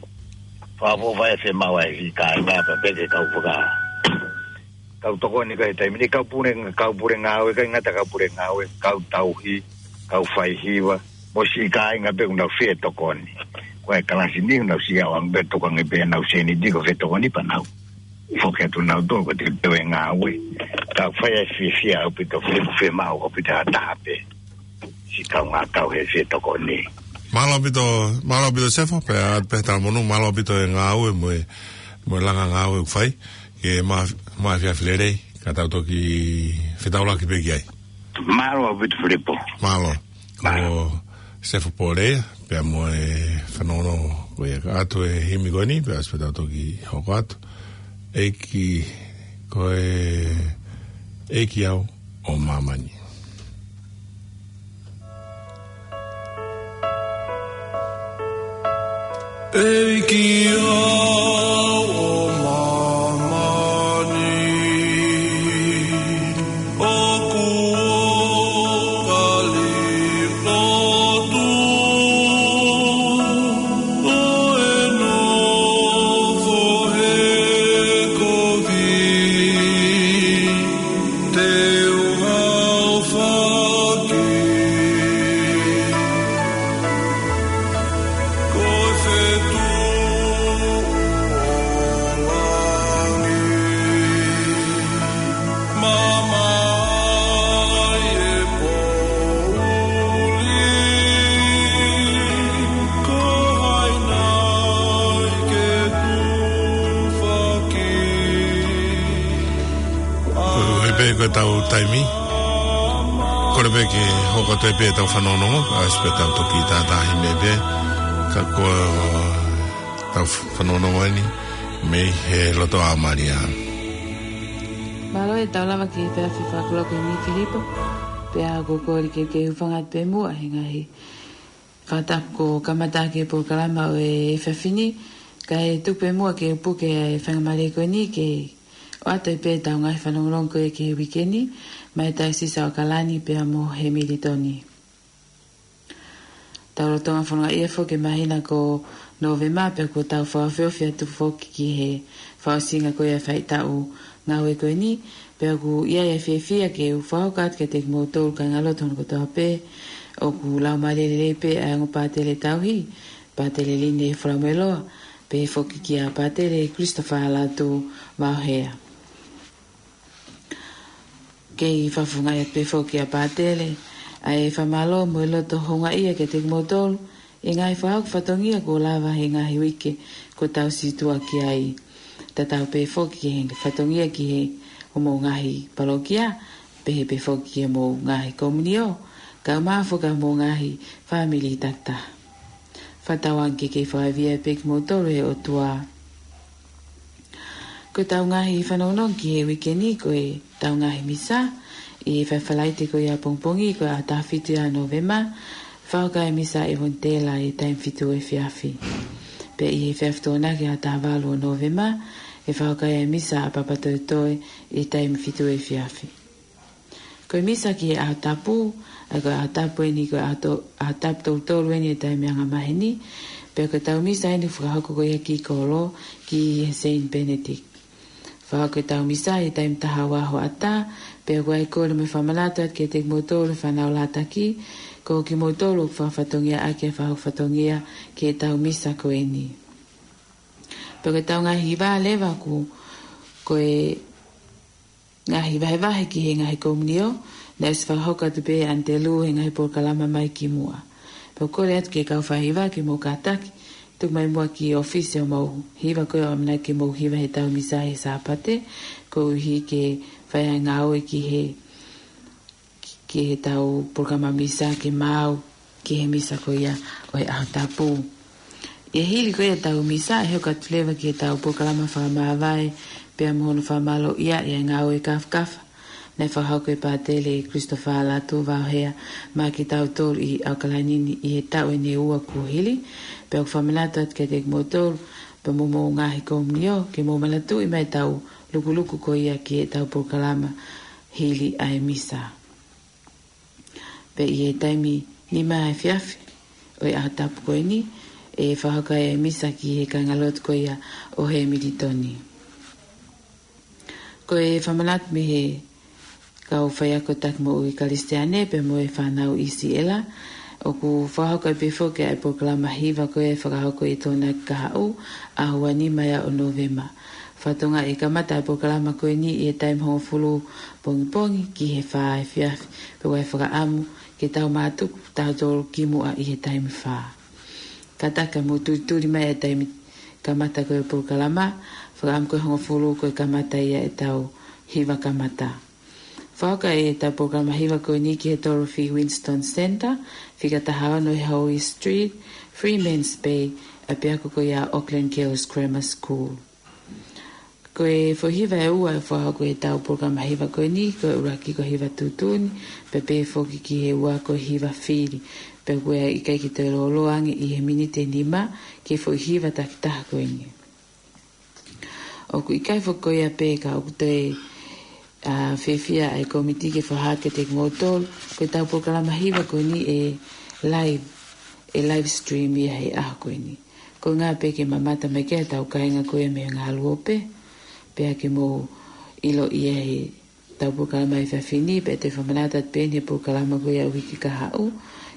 fakafoʻou fai e fiemaʻu ai siʻi kāinga pea pehē ke kau faka kau tokoni ko e taimi ni, kau pule, kau pule ngāue, ʻikai ngata kau pule ngāue, kau tauhi, kau faihiva, mo siʻi kāinga pē ʻoku nau fie tokoni. Ko e kalasi ni ʻoku nau sio ange pē tokanga pē ʻenau sēniti ko e fie tokoni pea nau foki atu nautolu ko e teuteu e ngāue. Ka fai e fiefia ʻaupito, fie, fiemaʻu ʻaupito ha taha pē siʻi kaungā kau he fie tokoni. Mālō ʻaupito, mālō ʻaupito Sefo, pea ʻoatu pē ha talamonū, mālō ʻaupito e ngāue mo e, mo e langa ngāue ʻoku fai. Ke mā, mā efiafi lelei, ka tau toki fetaulaki pē ki ai. Mālō ʻaupito Filipo. Mālō. Mālō. Ko Sefo Pōlea, pea mo e fanongo ko ia, ka ʻoatu e himi ko eni, pea ʻosi pē tau toki hoko atu. ʻEiki, ko e ʻEiki au ʻo māmani. ʻEiki au ʻo māmani, ʻoku ou kali lotu ʻo e nofo he kovi. Te u haofaki ko e fetuʻu ʻo langi, mamae e poʻuli, ko hai nai ke tufaki. Ko e pē ko e tau taimi. Kole pē ke hoko atu pē ʻetau fanongonongo, ʻa ʻosi pē ʻetau toki tātāhi mai pē, ka ko ʻetau fanongonongo eni, mei he loto ʻa Malia. Mālō e tau lava ki he efiafi fakakoloko ni Filipo, pea ko e kole ke ke hūfanga atu pē muʻa he ngaahi fakatapu kuo kamata ʻaki e polokalama ʻo e efiafi ni, kae tuku pē muʻa ke u puke e faingamālie ko eni ke ʻoatu ai pē ʻetau ngaahi fanongonongo ko ē ki he uike ni, maʻa e Taiosisi ʻo ʻAokalani pea mo Hemilitoni. Tau lolotonga fononga ia foki he māhina ko Nōvema pea kuo tau fakaofiofi atu foki ki he fakaʻosinga ko ia e faʻahitaʻu ngāue ko eni, pea ʻoku ʻi ai e fiefia ke u fakahoko atu kiate kimoutolu kāingalotu hono kotoa pē, ʻoku laumālie lelei pē ʻa e ongo pātele tauhi, Pātele Lini Folamueloa, pehē foki kia Pātele Christopher Lātū Maohea. Kei fakafofongaʻi atu pē foki ʻa Pātele, ʻa e fakamālō mo e loto houngaʻia kiate kimoutolu, ʻi he ngaahi fakahoko fatongia kuo lava he ngaahi uike kuo tau situʻa ki ai. Tatau pē foki ki he fatongia ki he homou ngaahi palokia, pehē pē foki ki homou ngaahi komunio, kae ʻumaʻā foki ʻa homou ngaahi fāmili takitaha. Fakatauange ke kei fakaivia pē kimoutolu ʻe he ʻOtua. Ko ʻetau ngaahi fanongonongo ki he uike ni ko ʻetau ngaahi misa, ʻi he Falaite ko ia pongipongi ko e ʻaho taha fitu ia Nōvema, fakahoko ai e misa ʻa e ʻEvanitela ʻi he taimi fitu efiafi. Pea ʻi he efiafi Tokonaki ʻaho taha valu ʻo Nōvema, ʻe fakahoko ai e misa ʻa Papatoetoe ʻi he taimi fitu efiafi. Ko e misa ki he ʻaho tapu, ʻa ia ko e ʻaho tapu eni ko e ʻaho to-, ʻaho tapu tolu tolu eni ʻo e taimi angamaheni, pea ko ʻetau misa eni fakahoko ko ia ki kolo, ki he Saint Benedict. Fakahoko ʻetau misa ʻi he taimi taha ua hoʻatā, pea ʻoku ʻi ai e kole mo e fakamanatu atu kiate kimoutolu e fānau lātaki, ko kimoutolu ʻoku fakafatongiaʻaki e fakahoko fatongia ki heʻetau misa ko eni. Pea ko ʻetau ngaahi hiva leva ʻoku, ko e ngaahi vahevahe ki he ngaahi komunio, naʻe ʻosi fakahoko atu pē ʻe ʻAnitelū he ngaahi polokalama mai ki muʻa. Pea ʻoku kole atu ki he kau faihiva ke mou kātaki, tuku mai muʻa ki he ʻōfisi ʻo mou hiva ko ē ʻoku ʻamanaki ke mou hiva heʻetau misa he Sāpate, koeʻuhi ke fai ai e ngāue ki he, ki heʻetau polokalama misa ke maʻu ki he misa ko ia ʻo e ʻaho tapu. ʻI he hili ko ia ʻetau misa, ʻe hoko atu leva ki heʻetau polokalama fakamāvae, pea mo hono fakamālōʻia ʻi he ngāue kāfakafa naʻe fakahoko ʻe Pātele Christopher Lātū Vaohea maʻa kitautolu ʻi ʻAokalani ni ʻi he taʻu ʻe ua kuo hili, pea ʻoku fakamanatu atu kiate kimoutolu, pea mo homou ngaahi komunio, ke mou manatuʻi mai ʻetau lukuluku ko ia ki heʻetau polokalama hili ʻa e misa. Pea ʻi he taimi nima efiafi ʻo e ʻaho tapu ko eni, ʻe fakahoko ai e misa ki he kāingalotu ko ia ʻo Hemilitoni. Ko e fakamanatu mei he kau faiako taki moʻui Kalisitiane pea mo e fānau ʻi Siela, ʻoku fakahoko ai pē foki ʻa e polokalama hiva ko ē ʻe fakahoko ʻi he Tokonaki kahaʻu, ʻaho ua nima ia ʻo Nōvema. Fakatokangaʻi ʻe kamata e polokalama ko eni ʻi he taimi hongofulu pongipongi ki he fā efiafi, pea ʻoku ʻi ai e fakaʻamu ke tau mātuku tautolu ki muʻa ʻi he taimi fā. Kātaki ke mou tulituli mai e taimi kamata ko ē e polokalama, fakaʻamu ko e hongofulu ko e kamata ia ʻetau hiva kamata. Fakahoko ʻetau polokalama hiva ko eni ki he Dorothy Winston Centre, fika taha ono Hoey Street, Freeman's Bay, ʻapiako ko ia Auckland Girls Grammar School. Ko e foʻi hiva ʻe ua ʻe fakahoko ʻi heʻetau polokalama hiva ko eni, ko e ʻuluaki ko e hiva tuʻutuʻuni, pea pehē foki ki he ua ko e hiva fili, pea ʻoku ʻikai ke toe lōloa ange ʻi he miniti ʻe nima ki he foʻi hiva takitaha ko eni. ʻOku ʻikai foki ko ia pē ka ʻoku toe, ā, fiefia ʻa e kōmiti ke fakahā kiate kimoutolu, ko ʻetau polokalama hiva ko eni ʻe live, ʻe live stream ia he ʻaho ko eni. Ko e ʻuhinga pē ke mamata mai ki ai ʻetau kāinga ko ia mei he ngaahi ʻalu ope, pea ke mou ʻilo ia he ʻetau polokalama efiafi ni, pea te fakamanatu atu pē eni he polokalama ko ia uike kahaʻu,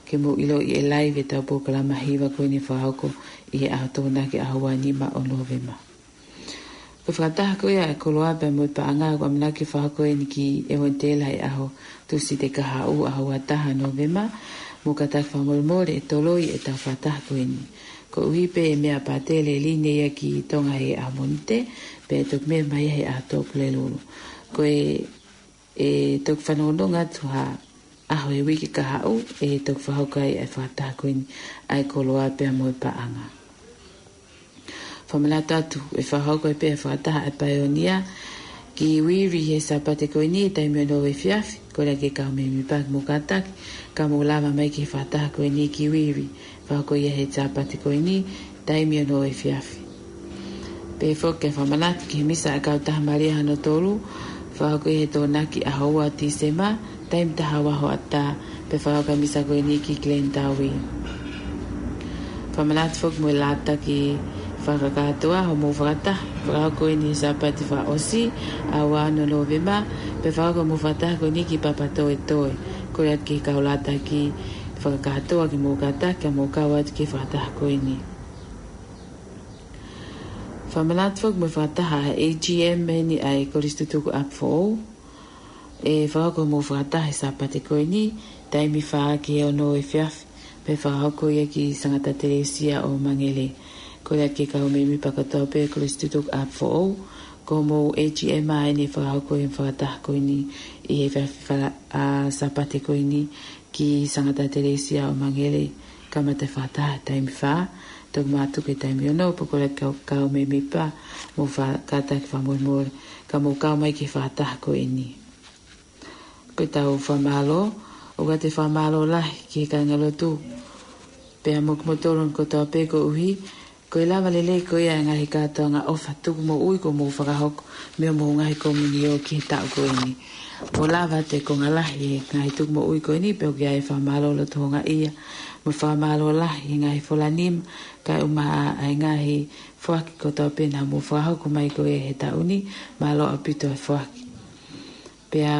ke mou ʻiloʻi ʻe live ʻetau polokalama hiva ko eni fakahoko ʻi he ʻaho Tokonaki ʻaho ua nima ʻo Nōvema. Ko e fakataha ko ia e koloa pea mo e paʻanga ʻoku ʻamanaki fakahoko eni ki ʻEvanitela he ʻaho Tūsite kahaʻu ʻaho ua taha Nōvema, mou kātaki fakamolemole ʻe toloi ʻetau fakataha ko eni. Koeʻuhi pē ʻe meʻa ʻa Pātele Lini ia ki Tonga he ʻaho Mōnite, pea ʻe toki meʻa mai he ʻaho Tupulelulu. Ko e, ʻe toki fanongonongo atu ha ʻaho ʻo e uike kahaʻu ʻe toki fakahoko ai e fakataha ko eni ʻa e koloa pea mo e paʻanga. Fakamanatu atu ʻe fakahoko ai pē e fakataha ʻa e paionia ki Wiri he Sāpate ko eni taimi ono efiafi. Kole atu ki he kau mēmipa ke mou kātaki, ka mou lava mai ki he fakataha ko eni ki Wiri, fakahoko ia he Sāpate ko eni taimi ono efiafi. Pehē foki ke fakamanatu ki he misa ʻa e Kautaha Malia hono tolu, fakahoko ia he Tokonaki ʻaho ua Tīsema, taimi taha ua hoʻatā, pea fakahoko e misa ko eni ki Glen Tawi. Fakamanatu foki mo e lātaki fakakātoa hoʻomou fakataha, fakahoko eni he Sāpate fakaʻosi, ʻaho ua ono Nōvema, pea fakahoko hoʻomou fakataha ko eni ki Papatoetoe. Kole atu ki he kau lātaki fakakātoa ke mou kātaki, ka mou kau atu ki he fakataha ko eni. Fakamanatu foki mo e fakataha ʻa e A G M eni ʻa e Kolisi Tutuku ʻApifoʻou. ʻE fakahoko hoʻomou fakataha he Sāpate ko eni, taimi fā ki he ono efiafi, pea fakahoko ia ki Sangata Telesia ʻo Mangele. Kole atu ki he kau mēmipa kotoa pē Kolisi Tutuku ʻApifoʻou, ko hoʻomou A G M eni ʻe fakahoko e fakataha ko eni ʻi he efiafi fala-, ʻa, Sāpate ko eni ki Sangata Telesia ʻo Mangele, kamata e fakataha taimi fā, toki mātuku ki he taimi ono, pea kole atu ki he kau mēmipa, mou fa-, kātaki fakamolemole, ka mou kau mai ki he fakataha ko eni. Ko ʻetau fakamālō, ʻoku ʻoatu e fakamālō lahi ki he kāingalotu, pea mo kimoutolu kotoa pē koeʻuhi ko e lava lelei ko ia e ngaahi kātoanga ʻofa tuku moʻui kuo mou fakahoko mei hoʻomou ngaahi komiunio ki he taʻu ko eni. Mou lava atu e konga lahi e ngaahi tuku moʻui ko eni, pea ʻoku ʻi ai e fakamālō loto houngaʻia mo e fakamālō lahi he ngaahi folanima, kae ʻumaʻā e ngaahi foaki kotoa pē naʻa mou fakahoko mai ko ia he taʻu ni, mālō ʻaupito e foaki. Pea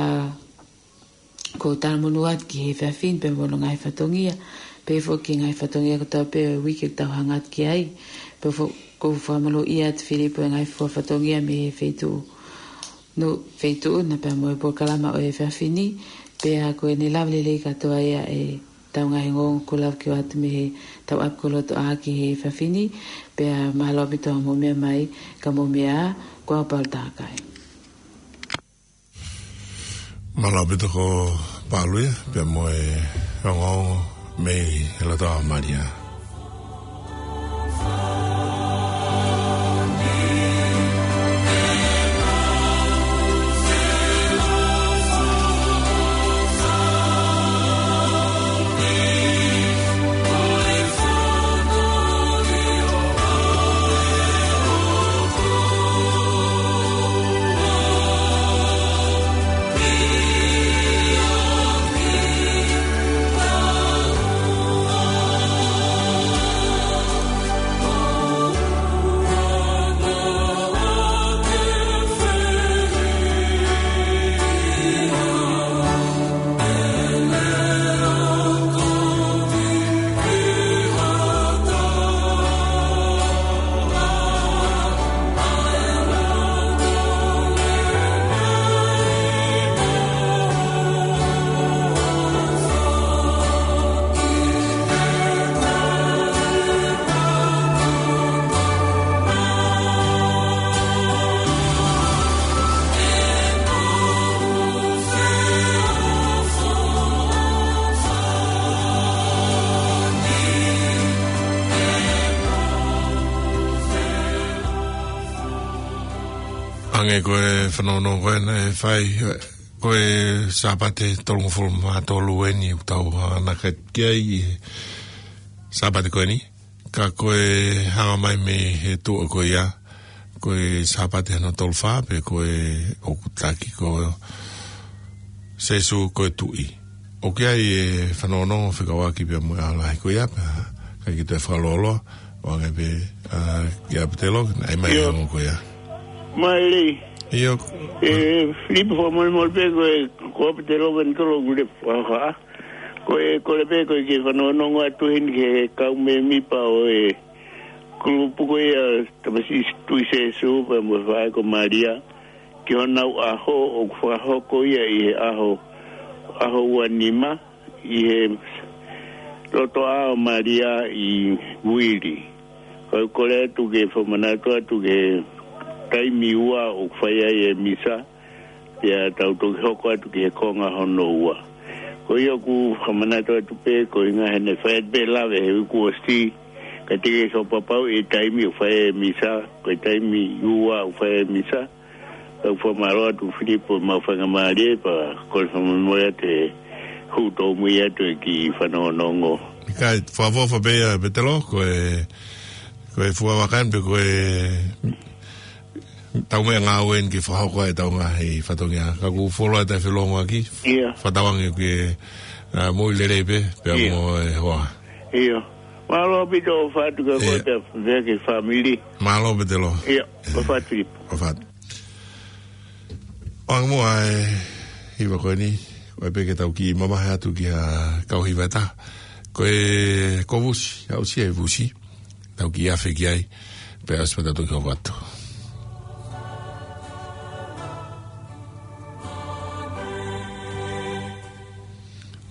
ʻoku ou talamonū atu ki he efiafi ni pea mo hono ngaahi fatongia, pea foki ki he ngaahi fatongia kotoa pē ʻo e uike ʻoku tau hanga atu ki ai. Pea fo-, ʻoku ou fakamonūʻia atu Filipo e ngaahi fua fatongia mei he feituʻu, no, feituʻu na pea mo e polokalama ʻo e efiafi ni, pea ko ʻene lava lelei kātoa ia ʻetau ngaahi ongoongo kuo lava ke ʻoatu mei heʻetau ʻapi ko Lotoʻā ki he efiafi ni, pea mālō ʻaupito hoʻomou meʻa mai, ka mou meʻa ā, ko au Paula Takai. Mālō ʻaupito ko Palu ia, pea mo e ongoongo mei he Lotoʻā Malia. Hangē ko e fanongo ko ē naʻe fai, ko e Sāpate tolungofulu mā tolu eni ʻoku tau hanga ki ai he Sāpate ko eni. Ka ko e hanga mai mei he tuʻa ko ia, ko e Sāpate hono tolu fā pē ko ē ʻoku taki ko Sēsū ko e Tuʻi. ʻOku ʻi ai e fanongonongo fekauʻaki pea mo e ʻaho lahi ko ia pea ʻikai ke toe fakalōloa, ʻo hangē pē, ʻa, kia Petelo, naʻe ʻi ai mai ʻIo. e ongo ko ia. Maile. ʻIo. ʻE, Filipo, fakamolemole pē ko e, ko Petelo Venitolo Gulefu, ʻa, ʻa. Ko e, kole pē ko e ke fanongonongo atu heni ki he kau mēmipa ʻo e kulupu ko ia Tamasiʻi Tuʻi Sēsū pea mo e Faʻē ko Malia, ki honau ʻaho ʻoku fakahoko ia ʻi he ʻaho, ʻaho ua nima, ʻi he Lotoʻā ʻo Malia ʻi Vili. Kau kole atu ke fakamanatu atu ki he taimi ua ʻoku fai ai e misa, pea tau toki hoko atu ki he konga hono ua. Ko ia ʻoku fakamanatu atu pē, ko e ʻuhinga he naʻe fai atu pē lave he uike kuo ʻosi, ka te ke sio papau e taimi ʻoku fai e misa, ko e taimi ua ʻoku fai e misa, ka ʻoku fakamālō atu Filipo mo e faingamālie, pea kole fakamolemole atu he hū tōmui atu e kiʻi fanongonongo. ʻIkai, fakaʻofoʻofa pē ia, Petelo, ko e, ko e fuʻu vaka eni pē ko e tau meʻangāue eni ke fakahoko ai ʻetau ngaahi fatongia. Ka ʻoku fuoloa ʻetau felongoaki. ʻIo. Fakatauange ke, ʻa, moʻui lelei pē, pea ʻIo. mo e hoa. ʻIo. Mālō ʻaupito ʻofa atu kia koe ʻIo. pea, pea ki he fāmili. Mālō Petelo. ʻIo, ʻofa atu Filipo. ʻOfa atu. ʻOange muʻa e hiva ko eni, ʻoua pē ke tau kiʻi mamahi atu ki ha kau hiva ʻe taha. Ko e, ko Vusi, aʻusia ʻe Vusi. Tau kiʻi afe ki ai, pea ʻosi pea tau toki hoko atu.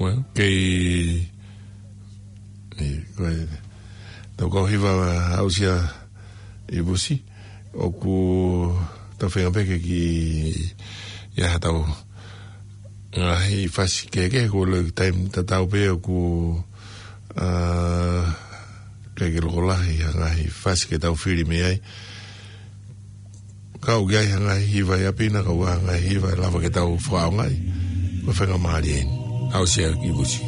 Well, kei, ʻe, ko e, tau kau hiva aʻusia ʻe Vusi, ʻoku tau feinga pē ke kiʻi, ʻi ai ha tau ngaahi fasi kehekehe, ko e loi taimi tatau pē ʻoku, ʻa, ʻikai ke loko lahi ha ngaahi fasi ke tau fili mei ai. Ka ʻoku ʻi ai ha ngaahi hiva ʻi ʻapi na, ka ʻoku ʻi ai ha ngaahi hiva ʻe lava ke tau fakaʻaongaʻi. Ko e faingamālie eni. Aʻusia ʻe Vusi.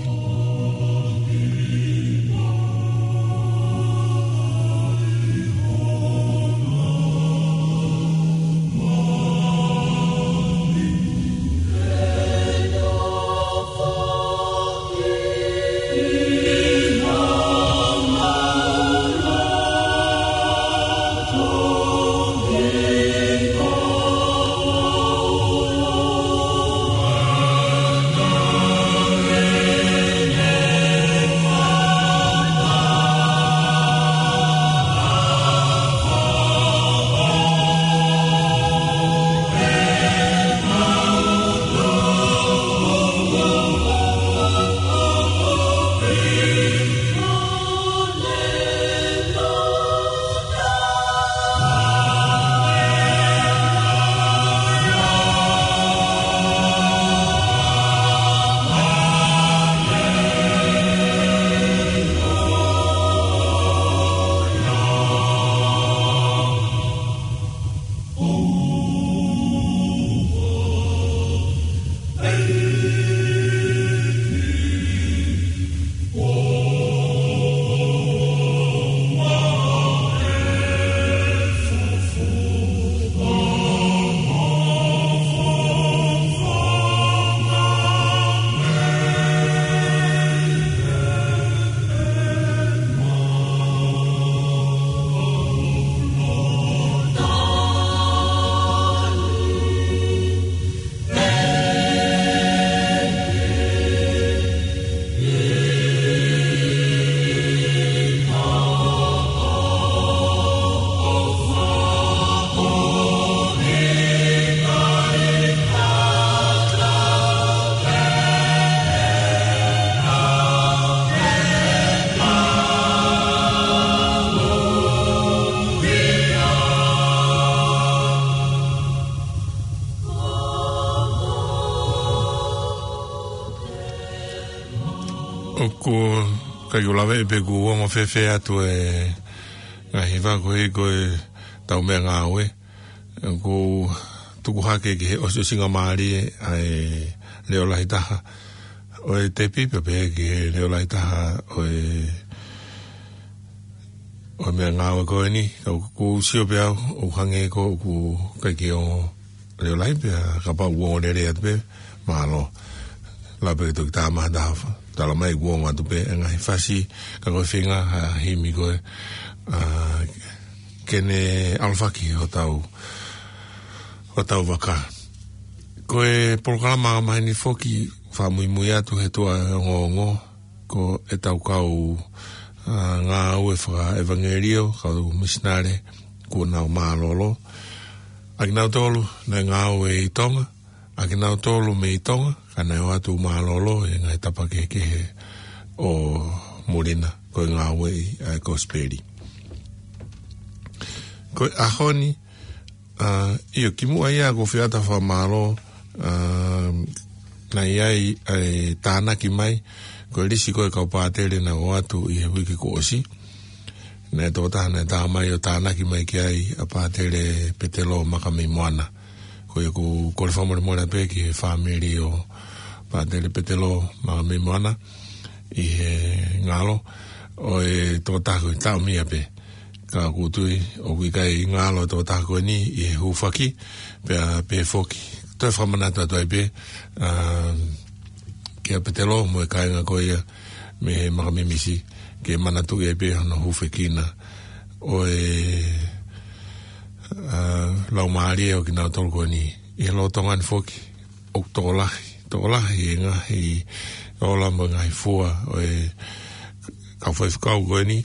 ʻOku ʻikai ke u lave pē kuo ongo fēfē atu e ngaahi hiva ko ē ko e tau meʻangāue. ʻOku ou tuku hake ki he ʻosiʻosingamālie ʻa e leʻo lahi taha ʻo e tepi, pea pehē ki he leʻo lahi taha ʻo e, ʻo e meʻangāue ko eni, ka ʻoku ou sio pē au, ʻoku hangē ko ʻoku ʻikai ke ongo leʻo lahi pea kapau ʻoku ongo lelei atu pē, mālō. Lava pē ke toki tā maha taha fa. Tala mai kuo ongo atu pē e ngaahi fasi, ka ko e feinga ha himi ko ē, ʻa, ke ne ʻalofaki hotau, hotau vaka. Ko e polokalama ʻa maheni foki fakamuimui atu he tuʻa ongoongo, ko ʻetau kau, ʻa, ngāue fakaʻevangeliō, kau misinale, kuo nau mālōlō. ʻA kinautolu naʻe ngāue ʻi Tonga, ʻa kinautolu mei Tonga, ka naʻe ō atu mālōlō ʻi he ngaahi tapa kehekehe ʻo muli na, ko e ngāueʻi ʻa e kosipeli. Ko e ʻaho ni, ʻa, ʻio, kimuʻa ia ʻoku ou fie ʻoatu ha fakamālō, ʻa, Naʻe ʻi ai ʻa e tānaki mai, ko e lisi ko ē kau pātele naʻe ʻoatu ʻi he uike kuo ʻosi. Naʻe tokotaha naʻe tā mai ʻo tānaki mai ki ai ʻa Pātele Petelo Makameimoana. Ko ia ʻoku kole fakamolemole pē ki he fāmili ʻo Pātele Petelo Makameimoana ʻi he ngalo ʻo e tokotaha ko ē taʻomia pē. Ka ʻoku ou tui ʻoku ʻikai ngalo e tokotaha ko eni ʻi he hūfaki, pea pehē foki. Toe fakamanatu atu ai pē, um, kia Petelo mo e kāinga ko ia mei he Makamimisi, ke manatuʻi ai pē hono hūfekina ʻo e, uh, laumālie ʻo kinautolu ko eni. ʻI he lolotonga ni foki, ʻoku tokolahi, tokolahi e ngaahi ola mo e ngaahi fua ʻo e kau faifekau ko eni,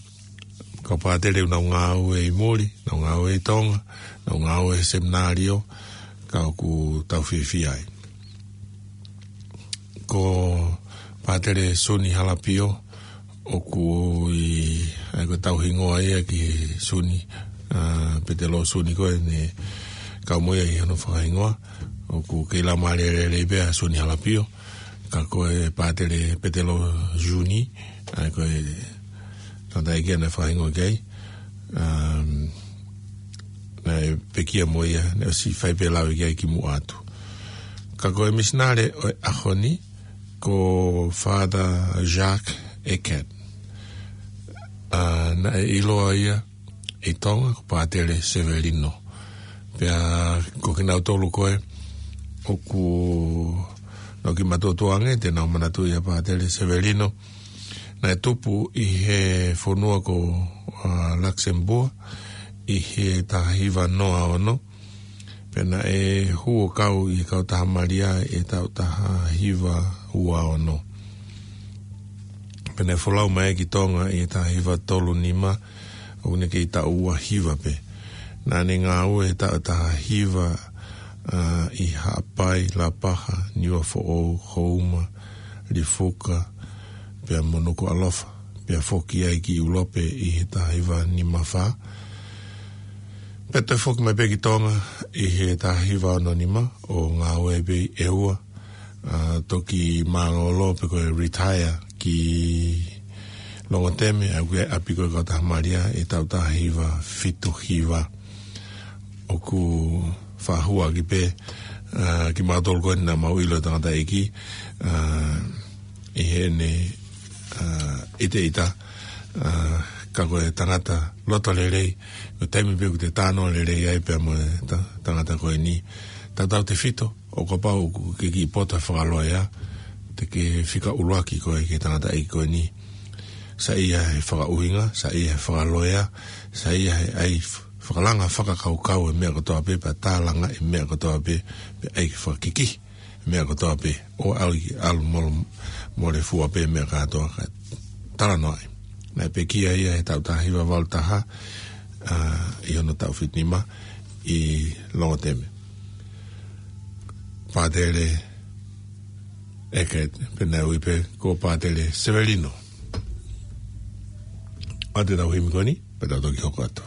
kau pātele ʻoku nau ngāue ʻi muli, nau ngāue ʻi Tonga, nau ngāue he seminalio, ka ʻoku tau fiefia ai. Ko Pātele Suni Halapio, ʻoku ʻi, ʻa ia ko e tauhingoa ia ki he Suni, ʻa, Petelo Suni ko ē naʻe kau mo ia ʻi hono fakahingoa, ʻoku kei laumālie lelei pē ʻa Suni Halapio, ka ko e Pātele Petelo Juni, ʻa ia ko e tangataʻeiki naʻe fakahingoa ki ai, um, naʻe pekia mo ia, naʻe ʻosi fai pē lave ki ai kimuʻa atu. Ka ko e misinale ʻo e ʻaho ni, ko Father Jacques Eckert. ʻA, naʻe ʻiloa ia ʻi Tonga ko Pātele Sevelino. Pea ko kinautolu ko ē ʻoku nau kiʻi matuʻotuʻa ange, te nau manatuʻi ʻa Pātele Sevelino. Naʻe tupu ʻi he fonua ko, ʻa, Luxembourg, ʻi he taha hiva noa ono. Pea naʻe hū ʻo kau ʻi he kautaha Malia ʻi he taʻu taha hiva ua ono. Pea naʻe folau mai ki Tonga ʻi he taha hiva tolu nima, ʻoku ne kei taʻu ua hiva pē. Naʻa ne ngāue he taʻu taha hiva, ʻa, ʻi Haʻapai, Lapaha, Niuafoʻou, Houma, Lifuka, pea mo Nukuʻalofa. Pea foki ai ki ʻIulope ʻi he taha hiva nima fā. Pea toe foki mai pē ki Tonga ʻi he taha hiva ono nima ʻo ngāue pē ʻi ʻEua, ʻa, toki mālōlō pe ko e retire ki Longoteme, ʻa ia ko e ʻapi ko ē kautaha Malia ʻi he taʻu taha hiva fitu hiva. ʻOku fakahua ʻaki pē, ʻa, kimautolu ko eni naʻa mau ʻilo e tangataʻeiki, ʻa, ʻi heʻene, ʻa, ʻiteʻita, ʻa, ka ko e tangata loto lelei, ko e taimi pē ʻoku te talanoa lelei ai pea mo e ta-, tangata ko eni. Tautautefito, ʻo kapau ʻoku ke kiʻi poto he fakaloea, te ke fika ʻuluaki koe ki he tangataʻeiki ko eni. Saiʻia he fakaʻuhinga, saiʻia he fakaloea, saiʻia he ʻai f-, fakalanga fakakaukau e meʻa kotoa pē, pea tālanga e meʻa kotoa pē, pea ʻai ke fakakiki e meʻa kotoa pē, ʻo ʻalu ki, ʻalu mole, mole fua pē meʻa kātoa ka talanoaʻi. Naʻe pekia ia he taʻu taha hiva valu taha, ʻa, ʻi hono taʻu fitu nima ʻi Longoteme. Pātele Eckert, pea naʻe ui pē ko Pātele Sevelino. ʻA ia te tau himi ko eni, pea tau toki hoko atu.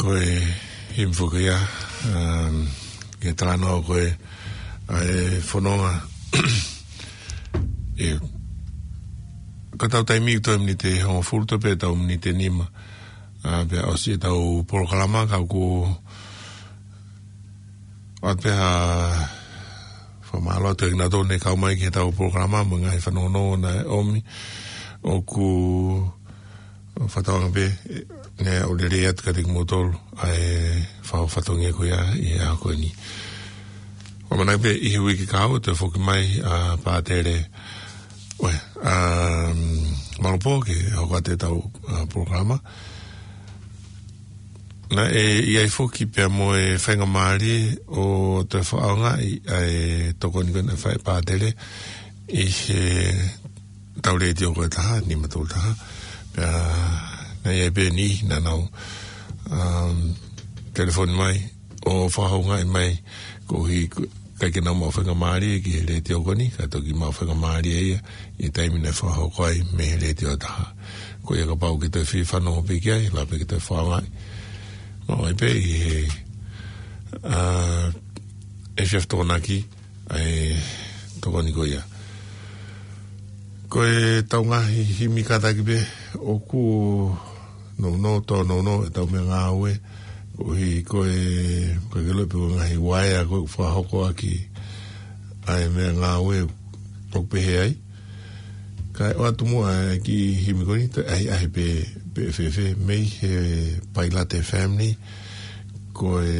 Ko e himi foki ia, um, ke talanoa ko e, ʻa e fononga. ʻE, ka tau taimi ʻoku toe miniti hongofulu toe pē tau miniti nima. ʻA, pea ʻosi ʻetau polokalama ka ʻoku ʻoatu pē ha fakamālō atu kiate kinautolu ne kau mai ki heʻetau polokalama mo e ngaahi fanongonongo naʻe ʻomi. ʻOku fakatauange pē, ʻe, ne u lelei atu kiate kimoutolu ʻa e fau fatongia ko ia ʻi he ʻaho ko eni. ʻOku ʻamanaki pē ʻi he uike kahaʻu ʻe toe foki mai ʻa Pātele. Uē, um, Malopo ke hoko atu ʻetau, ʻa, polokalama. Naʻe ʻi ai foki pea mo e faingamālie ʻo toe fakaʻaongaʻi ʻa e tokoni ko ē naʻe fai ʻe Pātele ʻi heʻetau letiō ko e taha, nima tolu taha. Pea naʻe ʻi ai pē niʻihi naʻa nau, um, telefoni mai ʻo fakahoungaʻi mai koeʻuhi ko e ʻikai ke nau maʻu faingamālie ki he letiō ko eni, ka toki maʻu faingamālie ia ʻi he taimi naʻe fakahoko ai mei he letiō taha. Ko ia kapau ʻoku ke toe fie fanongo pē ki ai, lava pē ke toe fakaʻaongaʻi. Maʻu ai pē ʻi he, ʻa, efiafi Tokonaki, ʻa e tokoni ko ia. Ko ʻetau ngaahi himi kātaki pē ʻoku nounou, tōnounou ʻetau meʻangāue, koeʻuhi ko e, ko e ke loi pē ko e ngaahi uaea ko ē ʻoku fakahoko ʻaki ʻa e meʻangāue ʻoku pehē ai. Kae ʻoatu muʻa e kiʻi himi ko eni, toe ʻahiʻahi pē, pē fēfē, mei he Pailate Family, ko e,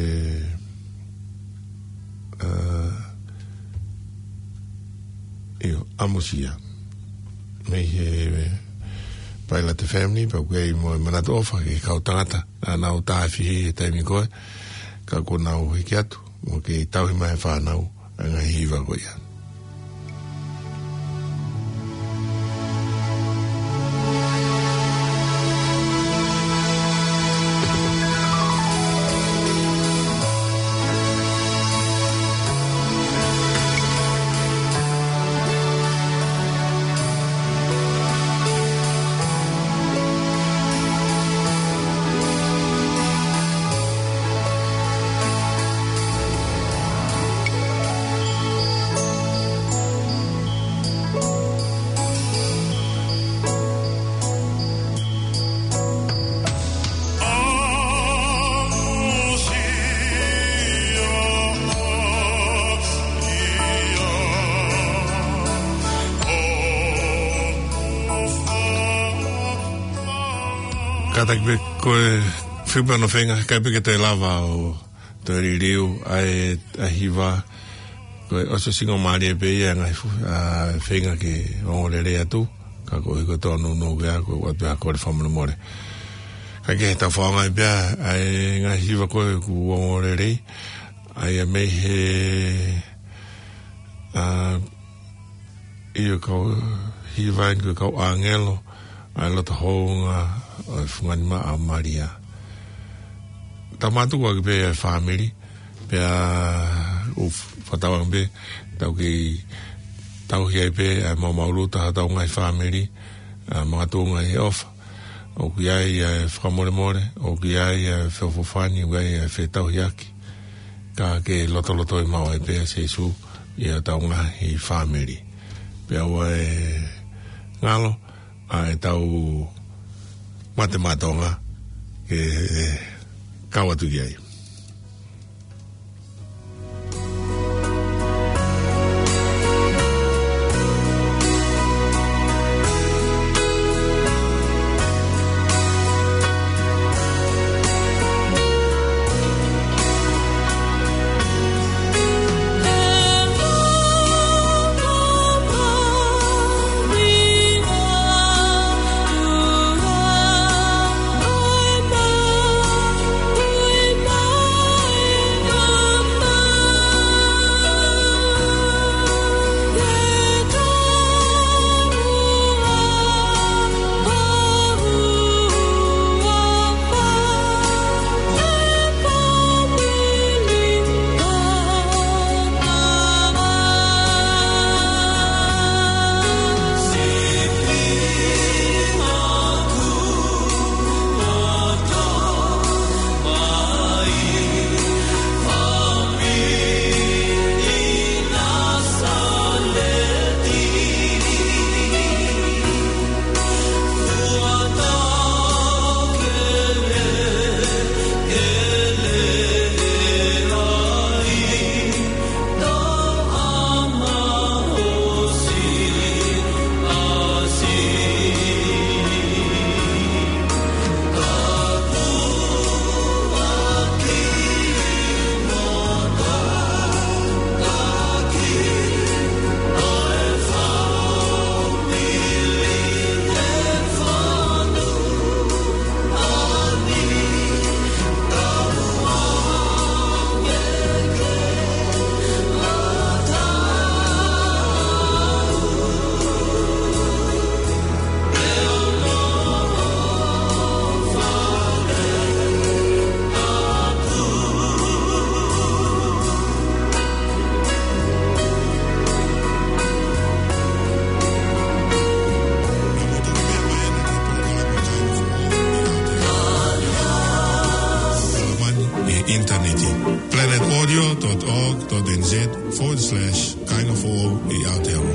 ʻa, ʻio, ʻamusia. Mei he Pailate Family, pea ʻoku ʻi ai mo e manatu ʻofa ki he kau tangata naʻa nau tāfihi he taimi ko ē, ka kuo nau hiki atu, mo kei tauhi mai e fānau, ʻa e ngaahi hiva ko ia. Kātaki pē ko e fiu pē hono feinga, ʻikai pē ke toe lava ʻo toe liliu ʻa e, ʻa e hiva. Ko e ʻosi singo mālie pē ia ngaahi fu-, ʻa, feinga ke ongo lelei atu, ka koeʻuhi ko e tōnounou ko ia, ko e ʻoatu pē ha kole fakamolemole. Ka ke he tau fakaʻaongaʻi pē ʻa e ngaahi hiva ko ē kuo ongo lelei, ʻa ia mei he, ʻa, ʻio, kau hiva eni ko e Kau ʻĀngelo, ʻa e Loto Hounga ʻo e Fungani Maʻa ʻo Malia. Tau mātuku ʻaki pē ʻa e fāmili, pea ʻoku fakatauange pē, tau kei tauhi ai pē ʻa e maumau luta ʻa hotau ngaahi fāmili, ʻa, makatuʻunga ʻi he ʻofa. ʻOku ʻi ai ʻa e fakamolemole, ʻoku ʻi ai ʻa e feʻofoʻofani, ʻoku ʻi ai ʻa e fetauhiʻaki. Ka ke lotolotoi maʻu ai pē ʻa Sīsū ʻi hotau ngaahi fāmili. Pea ʻoua ʻe ngalo ʻa ʻetau mate maʻa Tonga ke kau atu ki ai. forward slash Kāinga Foʻou ʻi Aotearoa.